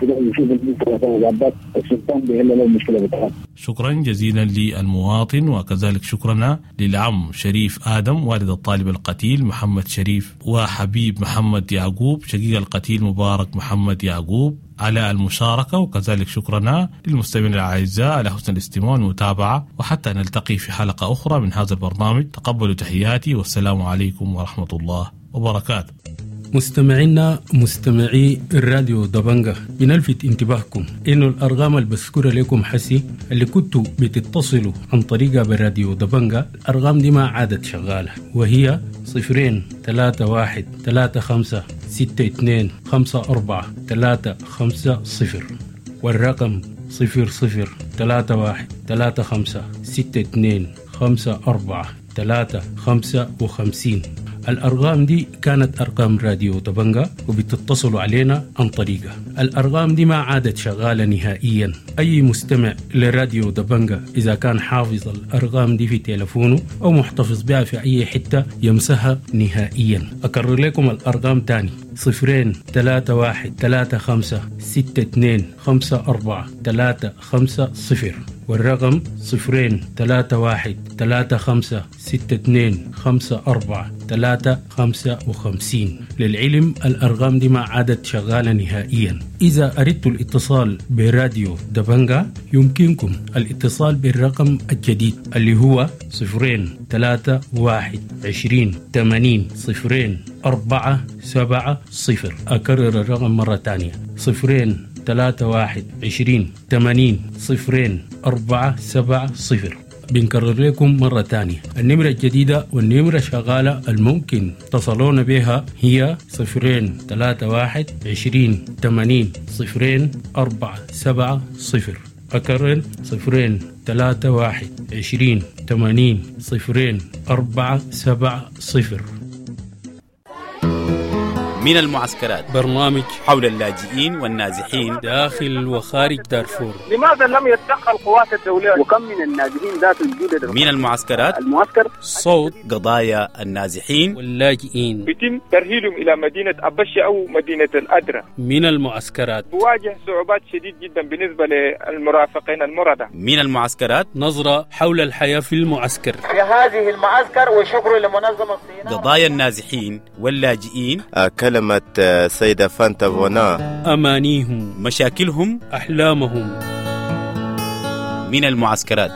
كده يشوف المشكلة ده السلطان بيحل له المشكلة بتاعته. شكرا جزيلا للمواطن، وكذلك شكرنا للعم شريف آدم والد الطالب القتيل محمد شريف، وحبيب محمد يعقوب شقيق القتيل مبارك محمد يعقوب على المشاركة، وكذلك شكرنا للمستمعين الأعزاء على حسن الاستماع والمتابعة، وحتى نلتقي في حلقة أخرى من هذا البرنامج. تقبلوا تحياتي والسلام عليكم ورحمة الله وبركاته. مستمعينا مستمعي الراديو دبنجة، بنلفت انتباهكم انه الارقام اللي بذكرها لكم حسي اللي كنتوا بتتصلوا عن طريقها بالراديو دبنجة، الارقام دي ما عادت شغالة، وهي صفرين ثلاثة واحد ثلاثة خمسة ستة اثنين خمسة أربعة ثلاثة خمسة صفر، والرقم صفر صفر ثلاثة واحد ثلاثة خمسة ستة اثنين خمسة أربعة ثلاثة خمسة وخمسين. الأرقام دي كانت أرقام راديو دبنجة وبتتصلوا علينا عن طريقة. الأرقام دي ما عادت شغالة نهائيا. أي مستمع لراديو دبنجة إذا كان حافظ الأرقام دي في تلفونه أو محتفظ بها في أي حتة يمسها نهائيا. أكرر لكم الأرقام تاني: صفرين ثلاثة واحد ثلاثة خمسة ستة اثنين خمسة أربعة ثلاثة خمسة صفر، والرقم صفرين ثلاثة واحد ثلاثة خمسة ستة اثنين خمسة أربعة ثلاثة خمسة وخمسين. للعلم الأرقام دي ما عادت شغالة نهائيا. إذا أردتوا الاتصال براديو دبنجة يمكنكم الاتصال بالرقم الجديد اللي هو صفرين ثلاثة واحد عشرين ثمانين صفرين أربعة سبعة صفر. أكرر الرقم مرة تانية: صفرين ثلاثة واحد عشرين ثمانين صفرين أربعة سبعة صفر. بنكرر لكم مرة تانية النمرة الجديدة والنمرة شغالة الممكن تصلون بها هي صفرين ثلاثة واحد عشرين ثمانين صفرين أربعة سبعة صفر. أكرر: صفرين ثلاثة واحد عشرين ثمانين صفرين أربعة سبعة صفر. من المعسكرات، برنامج حول اللاجئين والنازحين داخل وخارج دارفور. لماذا لم يتدخل قوات الدولة؟ وكم من النازحين ذات الجودة؟ من المعسكرات، المعسكر صوت قضايا النازحين واللاجئين، يتم ترهيلهم إلى مدينة أبشة أو مدينة الأدرة. من المعسكرات تواجه صعوبات شديد جدا بالنسبة للمرافقين المرضى. من المعسكرات، نظرة حول الحياة في المعسكر، في هذه المعسكر، وشكر لمنظمة الصينية. قضايا النازحين واللاجئين، كلمة سيدة فانتا فونا، أمانيهم، مشاكلهم، أحلامهم. من المعسكرات.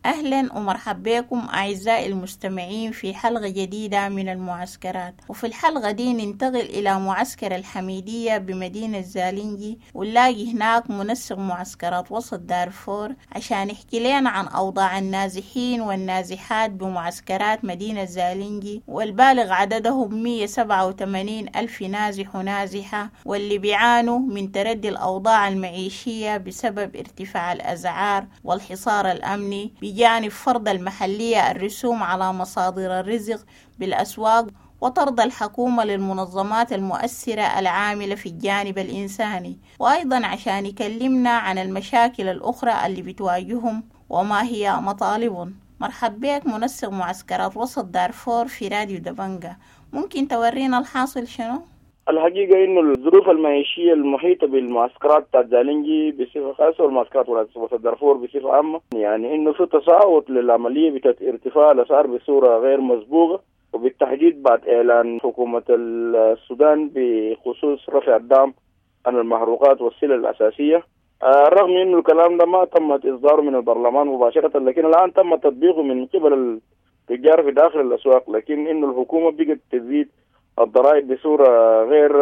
أهلا ومرحبا بكم أعزائي المستمعين في حلقة جديدة من المعسكرات. وفي الحلقة دي ننتقل إلى معسكر الحميدية بمدينة زالنجي، ونلاقي هناك منسق معسكرات وسط دارفور عشان يحكي لنا عن أوضاع النازحين والنازحات بمعسكرات مدينة زالنجي والبالغ عددهم مئة وسبعة وثمانين ألف نازح ونازحة، واللي بيعانوا من تردي الأوضاع المعيشية بسبب ارتفاع الأسعار والحصار الأمني، بجانب فرض المحلية الرسوم على مصادر الرزق بالأسواق، وطرد الحكومة للمنظمات المؤثرة العاملة في الجانب الإنساني. وأيضا عشان يكلمنا عن المشاكل الأخرى اللي بتواجههم وما هي مطالبهم. مرحب بك منسق معسكرات وسط دارفور في راديو دبنجة، ممكن تورينا الحاصل شنو؟ الحقيقة إنه الظروف المعيشية المحيطة بالمعسكرات بتاعت زالنجي بصفة خاصة والمعسكرات وسط دارفور بصفة عامة، يعني إنه في تصاعد للعملية بتاعت ارتفاع الأسعار بصورة غير مسبوقة، وبالتحديد بعد إعلان حكومة السودان بخصوص رفع الدعم عن المحروقات والسلع الأساسية. رغم إنه الكلام ده ما تم إصداره من البرلمان مباشرة، لكن الآن تم تطبيقه من قبل التجار في داخل الأسواق، لكن إنه الحكومة بقت تزيد الضرائب بصورة غير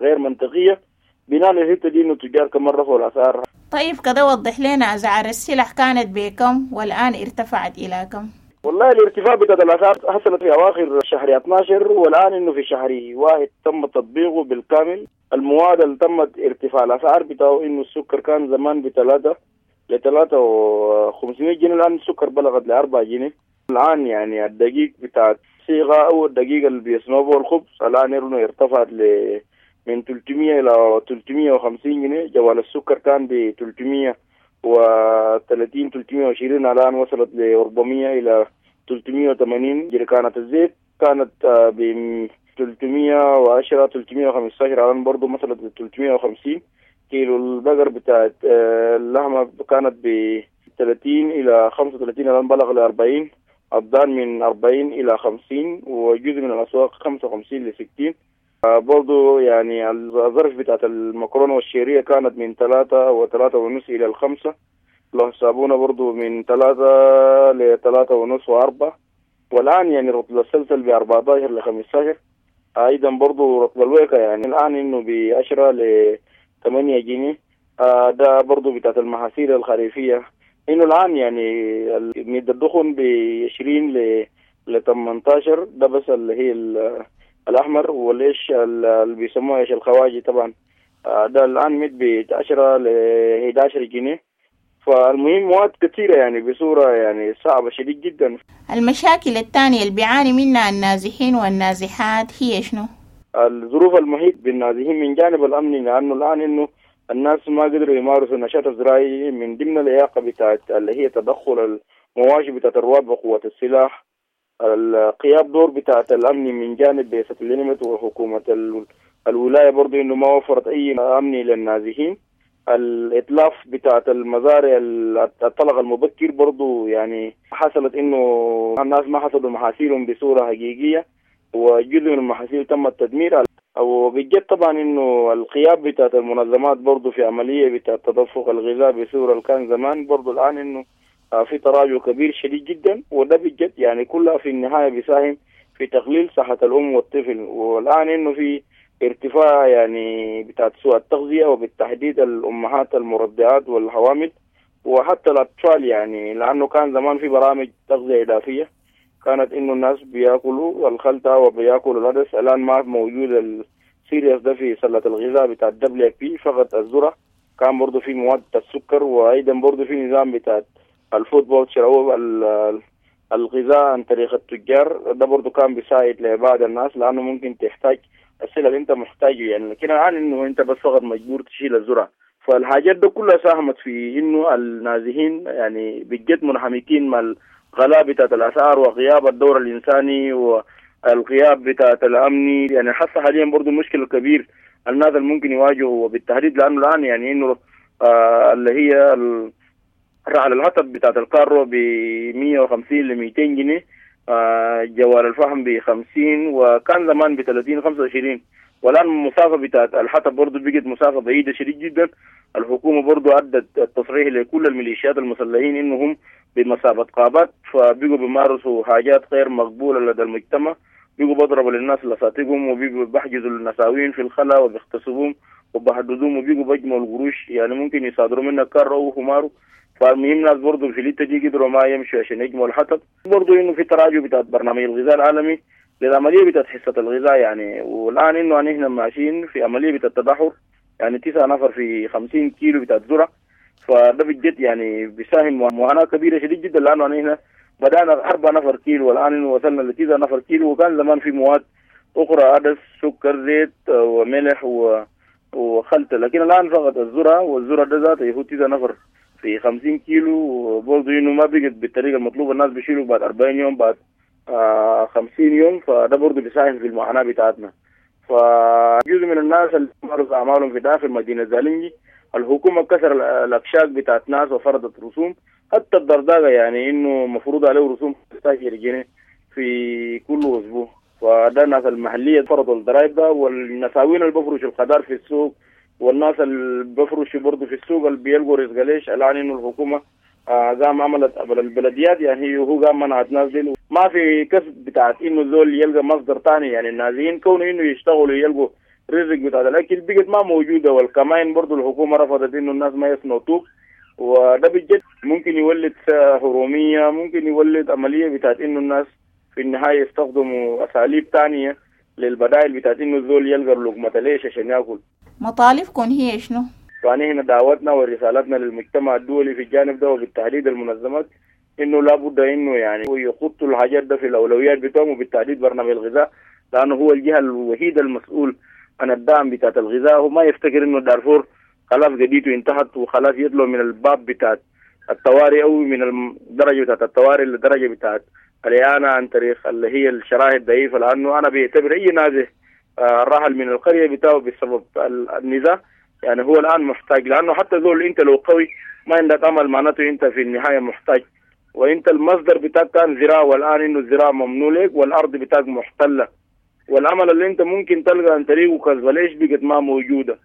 غير منطقية بناء على الحتة دي إنه التجار كمان رفعوا الأسعار. طيب كده وضح لنا أسعار السلع كانت بكم والآن ارتفعت إلى كم؟ والله الارتفاع بتاع الاسعار حصلت في اواخر شهر اثنا عشر، والان انه في شهر واحد تم تطبيقه بالكامل. المواد اللي تمت ارتفاع الاسعار بتاعه انه السكر كان زمان بثلاثة لثلاثة وخمسمية جنيه، الان السكر بلغت لأربعة جنيه. الان يعني الدقيق بتاع الصيغة او الدقيق اللي بيصنعوه الخبز الان انه ارتفعت ل من ثلاثمية الى ثلاثمية وخمسين جنيه. جوال السكر كان ب ثلاثمية وثلاثين، ثلاثمية وعشرين، الان وصلت ل أربعمية الى ثلاثمية وثمانين. جركانة الزيت كانت ب ثلاثمية وعشرة، ثلاثمية وخمسة عشر، الان برضه وصلت ل ثلاثمية وخمسين. كيلو البقر بتاعت اللحمة كانت ب ثلاثين إلى خمسة وثلاثين، الآن بلغ ل أربعين. الضان من أربعين إلى خمسين، وجزء من الأسواق خمسة وخمسين ل ستين. برضو يعني الظرف بتاعت المكرونة والشعرية كانت من ثلاثة وثلاثة ونص إلى الخمسة. لوح الصابونة برضو من ثلاثة لثلاثة ونص وأربعة، والآن يعني رطل السلسل ب أربعة عشر ل خمسة عشر. أيضا برضو رطل الويكة يعني الآن إنه ب عشرة ل ثمانية جنيه. آه ده برضو بتاعت المحاصيل الخريفية، إنه الآن يعني مد الدخن ب عشرين ل ل ثمانية عشر، ده بس اللي هي الأحمر. والعيش اللي بيسموه عيش الخواجي طبعا آه ده الآن مد ب عشرة ل إحدى عشر جنيه. فالمهم مواد كثيرة يعني بصورة يعني صعبة شديد جدا. المشاكل الثانية اللي بيعاني منها النازحين والنازحات هي شنو؟ الظروف المحيط بالنازحين من جانب الأمني، لأنه الآن إنه الناس ما قدروا يمارسوا النشاط الزراعي من ضمن الإعاقة بتاعت اللي هي تدخل المواشي بتاعت الرواة بقوة السلاح، القياب دور بتاعت الأمن من جانب بعثة اليونميد وحكومة الولاية برضو إنه ما وفرت أي أمن للنازحين. الإتلاف بتاعت المزارع، الطلق المبكر برضو يعني حصلت إنه الناس ما حصدوا محاصيلهم بصورة حقيقية، وجزء من المحاصيل تم التدمير. وبجد طبعا انه الغياب بتاعت المنظمات برضو في عملية بتاعت تدفق الغذاء بصورة اللي كان زمان، برضو الان انه في تراجع كبير شديد جدا، وده بجد يعني كلها في النهاية بيساهم في تقليل صحة الام والطفل. والان انه في ارتفاع يعني بتاعت سوء التغذية، وبالتحديد الامهات المرضعات والحوامل وحتى الاطفال، يعني لانه كان زمان في برامج تغذية اضافية كانت انه الناس بياكلوا الخلطة وبياكلوا العدس، الان ما موجود ال cereals ده في سله الغذاء بتاع WFP، فقط الذرة. كان برضه في مواد السكر، وايضا برضه في نظام بتاع ال food voucher او الغذاء عن طريق التجار، ده برضه كان بيساعد لبعض الناس لانه ممكن تحتاج السلة اللي انت محتاجه يعني، لكن الان انه انت بس فقط مجبور تشيل الذرة. فالحاجات ده كلها ساهمت في انه النازحين يعني بجد منهمكين مع الغلاء بتاعت الاسعار وغياب الدور الانساني والغياب بتاعت الامني. يعني حتى حاليا برضه مشكلة كبير الناس اللي ممكن يواجهوا، وبالتحديد لانه الان يعني انه آه اللي هي رعل الحطب بتاعت الكارو ب مية وخمسين ل ميتين جنيه، آه جوال الفحم ب خمسين، وكان زمان ب ثلاثين، خمسة وعشرين. والان المسافة بتاعت الحطب برضه بقت مسافة بعيدة شديد جدا. الحكومة برضه ادت التصريح لكل الميليشيات المسلحين انهم بمثابة غابات، فبقوا بيمارسوا حاجات غير مقبولة لدى المجتمع، بقوا بيضربوا للناس لساتقهم، وبقوا بيحجزوا النساوين في الخلا وبيغتصبوهم وبهددوهم، وبقوا بيجمعوا القروش، يعني ممكن يصادروا منك كارو او حمارو. فالمهم ناس برضه في الحتة دي قدروا ما يمشوا عشان يجمعوا الحطب. برضه انه في تراجع بتاعت برنامج الغذاء العالمي للعملية بتاعت حصة الغذاء يعني، والان انه نحن ماشيين في عملية بتاعت تدهور، يعني تسعة نفر في خمسين كيلو بتاعت ذره، فده بجد يعني بيساهم معاناة كبيرة شديد جدا، لانه نحن بدانا أربعة نفر كيلو والان انه وصلنا لتسعة نفر كيلو. وكان زمان في مواد اخرى، عدس، سكر، زيت وملح و وخلطة، لكن الان فقط الذرة، والذرة ده ذاته هو تسعة نفر في خمسين كيلو، وبرضه انه ما بقت بالطريقة المطلوبه، الناس بيشيلوا بعد أربعين يوم، بعد آه خمسين يوم، فده برضه بيساهم في المعاناة بتاعتنا. فجزء من الناس اللي مارسوا اعمالهم في داخل مدينة زالنجي، الحكومة كسر الاكشاك بتاعت ناس وفرضت رسوم، حتى الدرداقه يعني انه مفروض عليه رسوم خمسة عشر جنيه في كل اسبوع، فده الناس المحلية فرضوا الضرايب ده، والنساوين اللي بفرشوا الخضار في السوق والناس اللي بفرشوا برضه في السوق اللي بيلقوا رزق ليش، الان انه الحكومة آه قام عملت قبل البلديات، يعني هو قام منعت ناس دي، ما في كسب بتاعت انه زول يلقى مصدر ثاني، يعني النازحين كونه انه يشتغلوا يلقوا رزق بتاع الاكل بقت ما موجودة. والكمائن برضه الحكومة رفضت انه الناس ما يصنعوا طوب. وده بجد ممكن يولد هرومية، ممكن يولد عملية بتاعت إنه الناس في النهاية يستخدموا أساليب تانية للبدائل بتاعت إنه الزول يلقى لقمة ليش عشان ياكل. مطالبكم هي شنو؟ فأنا هنا دعوتنا ورسالتنا للمجتمع الدولي في الجانب ده وبالتحديد المنظمات إنه لابد إنه يعني يخطوا الحاجات ده في الأولويات بتاعهم، وبالتحديد برنامج الغذاء، لأنه هو الجهة الوحيدة المسؤول عن الدعم بتاعت الغذاء. هو ما يفتكر إنه دارفور خلاص قضيته انتهت وخلاص يطلع من الباب بتاعت الطوارئ أو من الدرجة بتاعت الطوارئ للدرجة بتاعت الإعانة عن طريق اللي هي الشرائح الضعيفة، لأنه أنا بيعتبر أي نازح رحل من القرية بتاعه بسبب النزاع يعني هو الآن محتاج، لأنه حتى ذول أنت لو قوي ما عندك أمل معناته أنت في النهاية محتاج، وأنت المصدر بتاعك كان زراعة، والآن إنه الزراعة ممنوع لك والأرض بتاعك محتلة، والأمل اللي أنت ممكن تلقى عن طريقه كذا ليش بقت ما موجودة.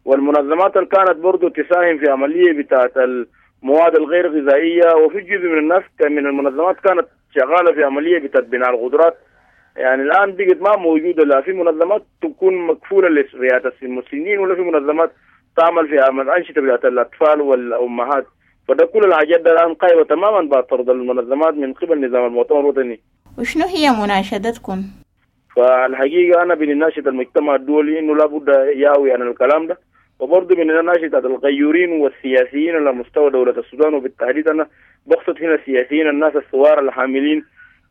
والمنظمات اللي كانت برضو تساهم في عملية بتاعت المواد الغير غذائية، وفي جزء من الناس من المنظمات كانت شغالة في عملية بتاعت بناء القدرات، يعني الآن بقت ما موجودة، لا في منظمات تكون مكفولة لرعاية المسنين ولا في منظمات تعمل في أنشطة بتاعت الأطفال والأمهات. فده كل الحاجات ده الآن قائمة تماما بعد طرد المنظمات من قبل نظام المؤتمر الوطني. وشنو هي مناشدتكم؟ فالحقيقة أنا بنناشد المجتمع الدولي إنه لابد ياوي عن الكلام ده، وبرضه بنناشد الغيورين والسياسيين على مستوى دولة السودان، وبالتحديد أنا بقصد هنا السياسيين الناس الثوار الحاملين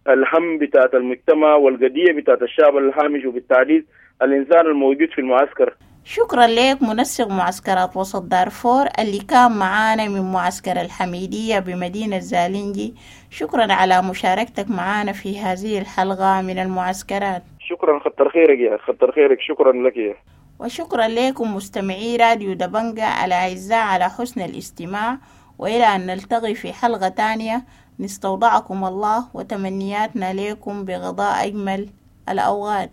الهم بتاعت المجتمع والقضية بتاعت الشعب الهامش، وبالتحديد الإنسان الموجود في المعسكر. شكرا لك منسق معسكرات وسط دارفور اللي كان معانا من معسكر الحميدية بمدينة زالنجي، شكرا على مشاركتك معانا في هذه الحلقة من المعسكرات. شكرا، خطر خيرك يا خطر خيرك، شكرا لك يا. وشكرا لكم مستمعي راديو دبنجة الأعزاء على حسن الاستماع، وإلى أن نلتقي في حلقة تانية نستودعكم الله وتمنياتنا لكم بغضاء أجمل الأوقات.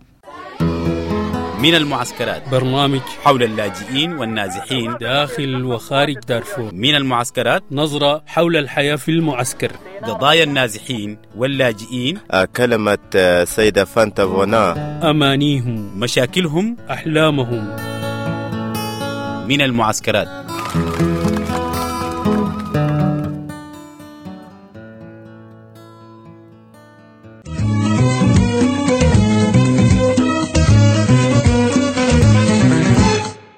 من المعسكرات، برنامج حول اللاجئين والنازحين داخل وخارج دارفور. من المعسكرات، نظرة حول الحياة في المعسكر، قضايا النازحين واللاجئين، كلمة سيدة فانتا فونا، أمانيهم، مشاكلهم، أحلامهم. من المعسكرات.